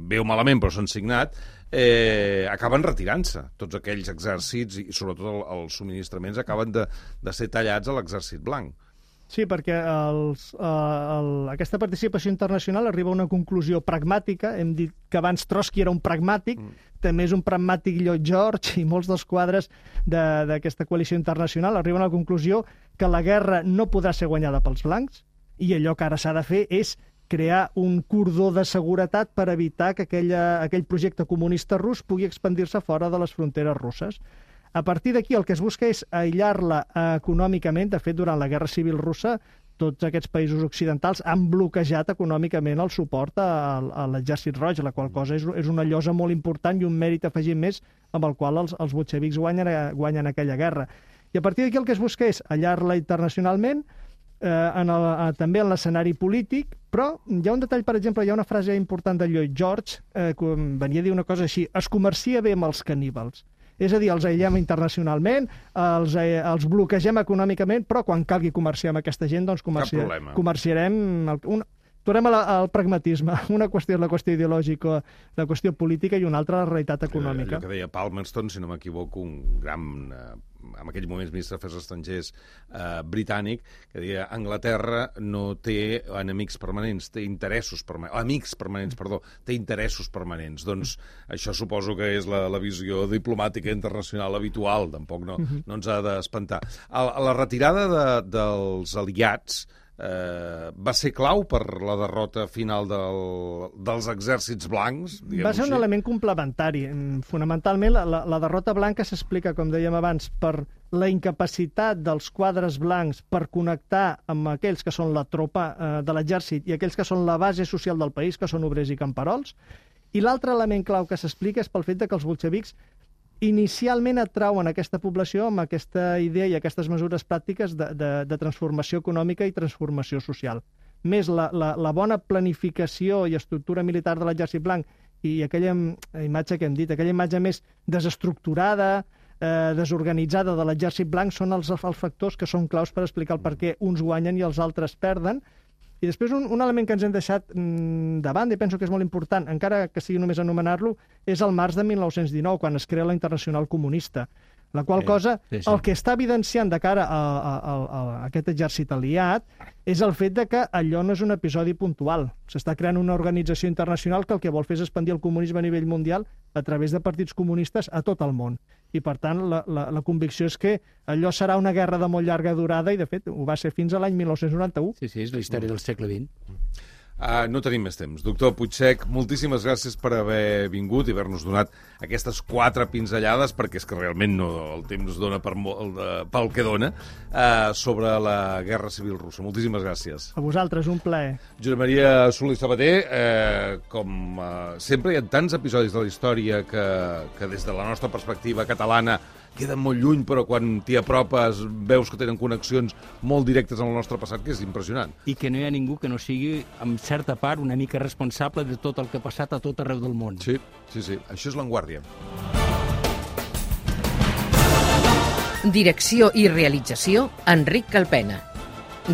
bé o malament, però s'han signat, eh, acaben retirant-se. Tots aquells exèrcits i sobretot el, els subministraments acaben de, de ser tallats a l'exèrcit blanc. Sí, perquè els, uh, el, aquesta participació internacional arriba a una conclusió pragmàtica. Hem dit que abans Trotsky era un pragmàtic, mm. també és un pragmàtic Lloyd George, i molts dels quadres d'aquesta coalició internacional arriben a la conclusió que la guerra no podrà ser guanyada pels blancs, i allò que ara s'ha de fer és crear un cordó de seguretat per evitar que aquella, aquell projecte comunista rus pugui expandir-se fora de les fronteres russes. A partir d'aquí el que es busca és aïllar-la econòmicament. De fet, durant la Guerra Civil russa, tots aquests països occidentals han bloquejat econòmicament el suport a, a l'exèrcit roig, la qual cosa és, és una llosa molt important i un mèrit afegit més amb el qual els, els bolxevics guanyen, guanyen aquella guerra. I a partir d'aquí el que es busca és aïllar-la internacionalment, eh, en el, eh, també en l'escenari polític, però hi ha un detall, per exemple, hi ha una frase important de Lloyd George, eh, que venia a dir una cosa així: es comercia bé amb els caníbals. És a dir, els aïllem internacionalment, els, eh, els bloquegem econòmicament, però quan calgui comerciar amb aquesta gent, doncs comerci... comerciarem... El, un, tornem al, al pragmatisme. Una qüestió és la qüestió ideològica, la qüestió política, i una altra la realitat econòmica. Allò que deia Palmerston, si no m'equivoco, un gran, eh, en aquells moments ministre d'Afers Estrangers eh, britànic, que deia Anglaterra no té enemics permanents, té interessos permanents, amics permanents, perdó, té interessos permanents. Doncs això suposo que és la, la visió diplomàtica internacional habitual, tampoc no, no ens ha d'espantar. A, a la retirada de, dels aliats Eh, va ser clau per la derrota final del, dels exèrcits blancs? Va ser un element complementari. Fonamentalment, la, la derrota blanca s'explica, com dèiem abans, per la incapacitat dels quadres blancs per connectar amb aquells que són la tropa eh, de l'exèrcit i aquells que són la base social del país, que són obrers i camperols. I l'altre element clau que s'explica és pel fet de que els bolxevics inicialment atrauen aquesta població amb aquesta idea i aquestes mesures pràctiques de, de, de transformació econòmica i transformació social. Més la, la, la bona planificació i estructura militar de l'exèrcit blanc i aquella imatge que hem dit, aquella imatge més desestructurada, eh, desorganitzada de l'exèrcit blanc són els, els factors que són claus per explicar el per què uns guanyen i els altres perden. I després un, un element que ens hem deixat mm, de banda, i penso que és molt important, encara que sigui només anomenar-lo, és el març de mil nou-cents dinou, quan es crea la Internacional Comunista. La qual sí, cosa, sí, sí. el que està evidenciant de cara a, a, a, a aquest exèrcit aliat és el fet de que allò no és un episodi puntual. S'està creant una organització internacional que el que vol fer és expandir el comunisme a nivell mundial a través de partits comunistes a tot el món. I, per tant, la, la, la convicció és que allò serà una guerra de molt llarga durada i, de fet, ho va ser fins a l'any mil nou-cents noranta-u. Sí, sí, és la història del segle vint. Uh, no tenim més temps. Doctor Puigsech, moltíssimes gràcies per haver vingut i haver-nos donat aquestes quatre pinzellades, perquè és que realment no, el temps dona per molt, de, pel que dona, uh, sobre la Guerra Civil Russa. Moltíssimes gràcies. A vosaltres, un plaer. Josep Maria Solé Sabater, eh, com uh, sempre hi ha tants episodis de la història que, que des de la nostra perspectiva catalana queden molt lluny, però quan t'hi apropes veus que tenen connexions molt directes amb el nostre passat, que és impressionant. I que no hi ha ningú que no sigui, en certa part, una mica responsable de tot el que ha passat a tot arreu del món. Sí, sí, sí. Això és L'Enguàrdia. Direcció i realització, Enric Calpena.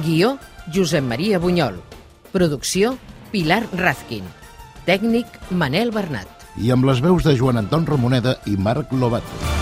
Guió, Josep Maria Bunyol. Producció, Pilar Razkin. Tècnic, Manel Bernat. I amb les veus de Joan Anton Ramoneda i Marc Lobato.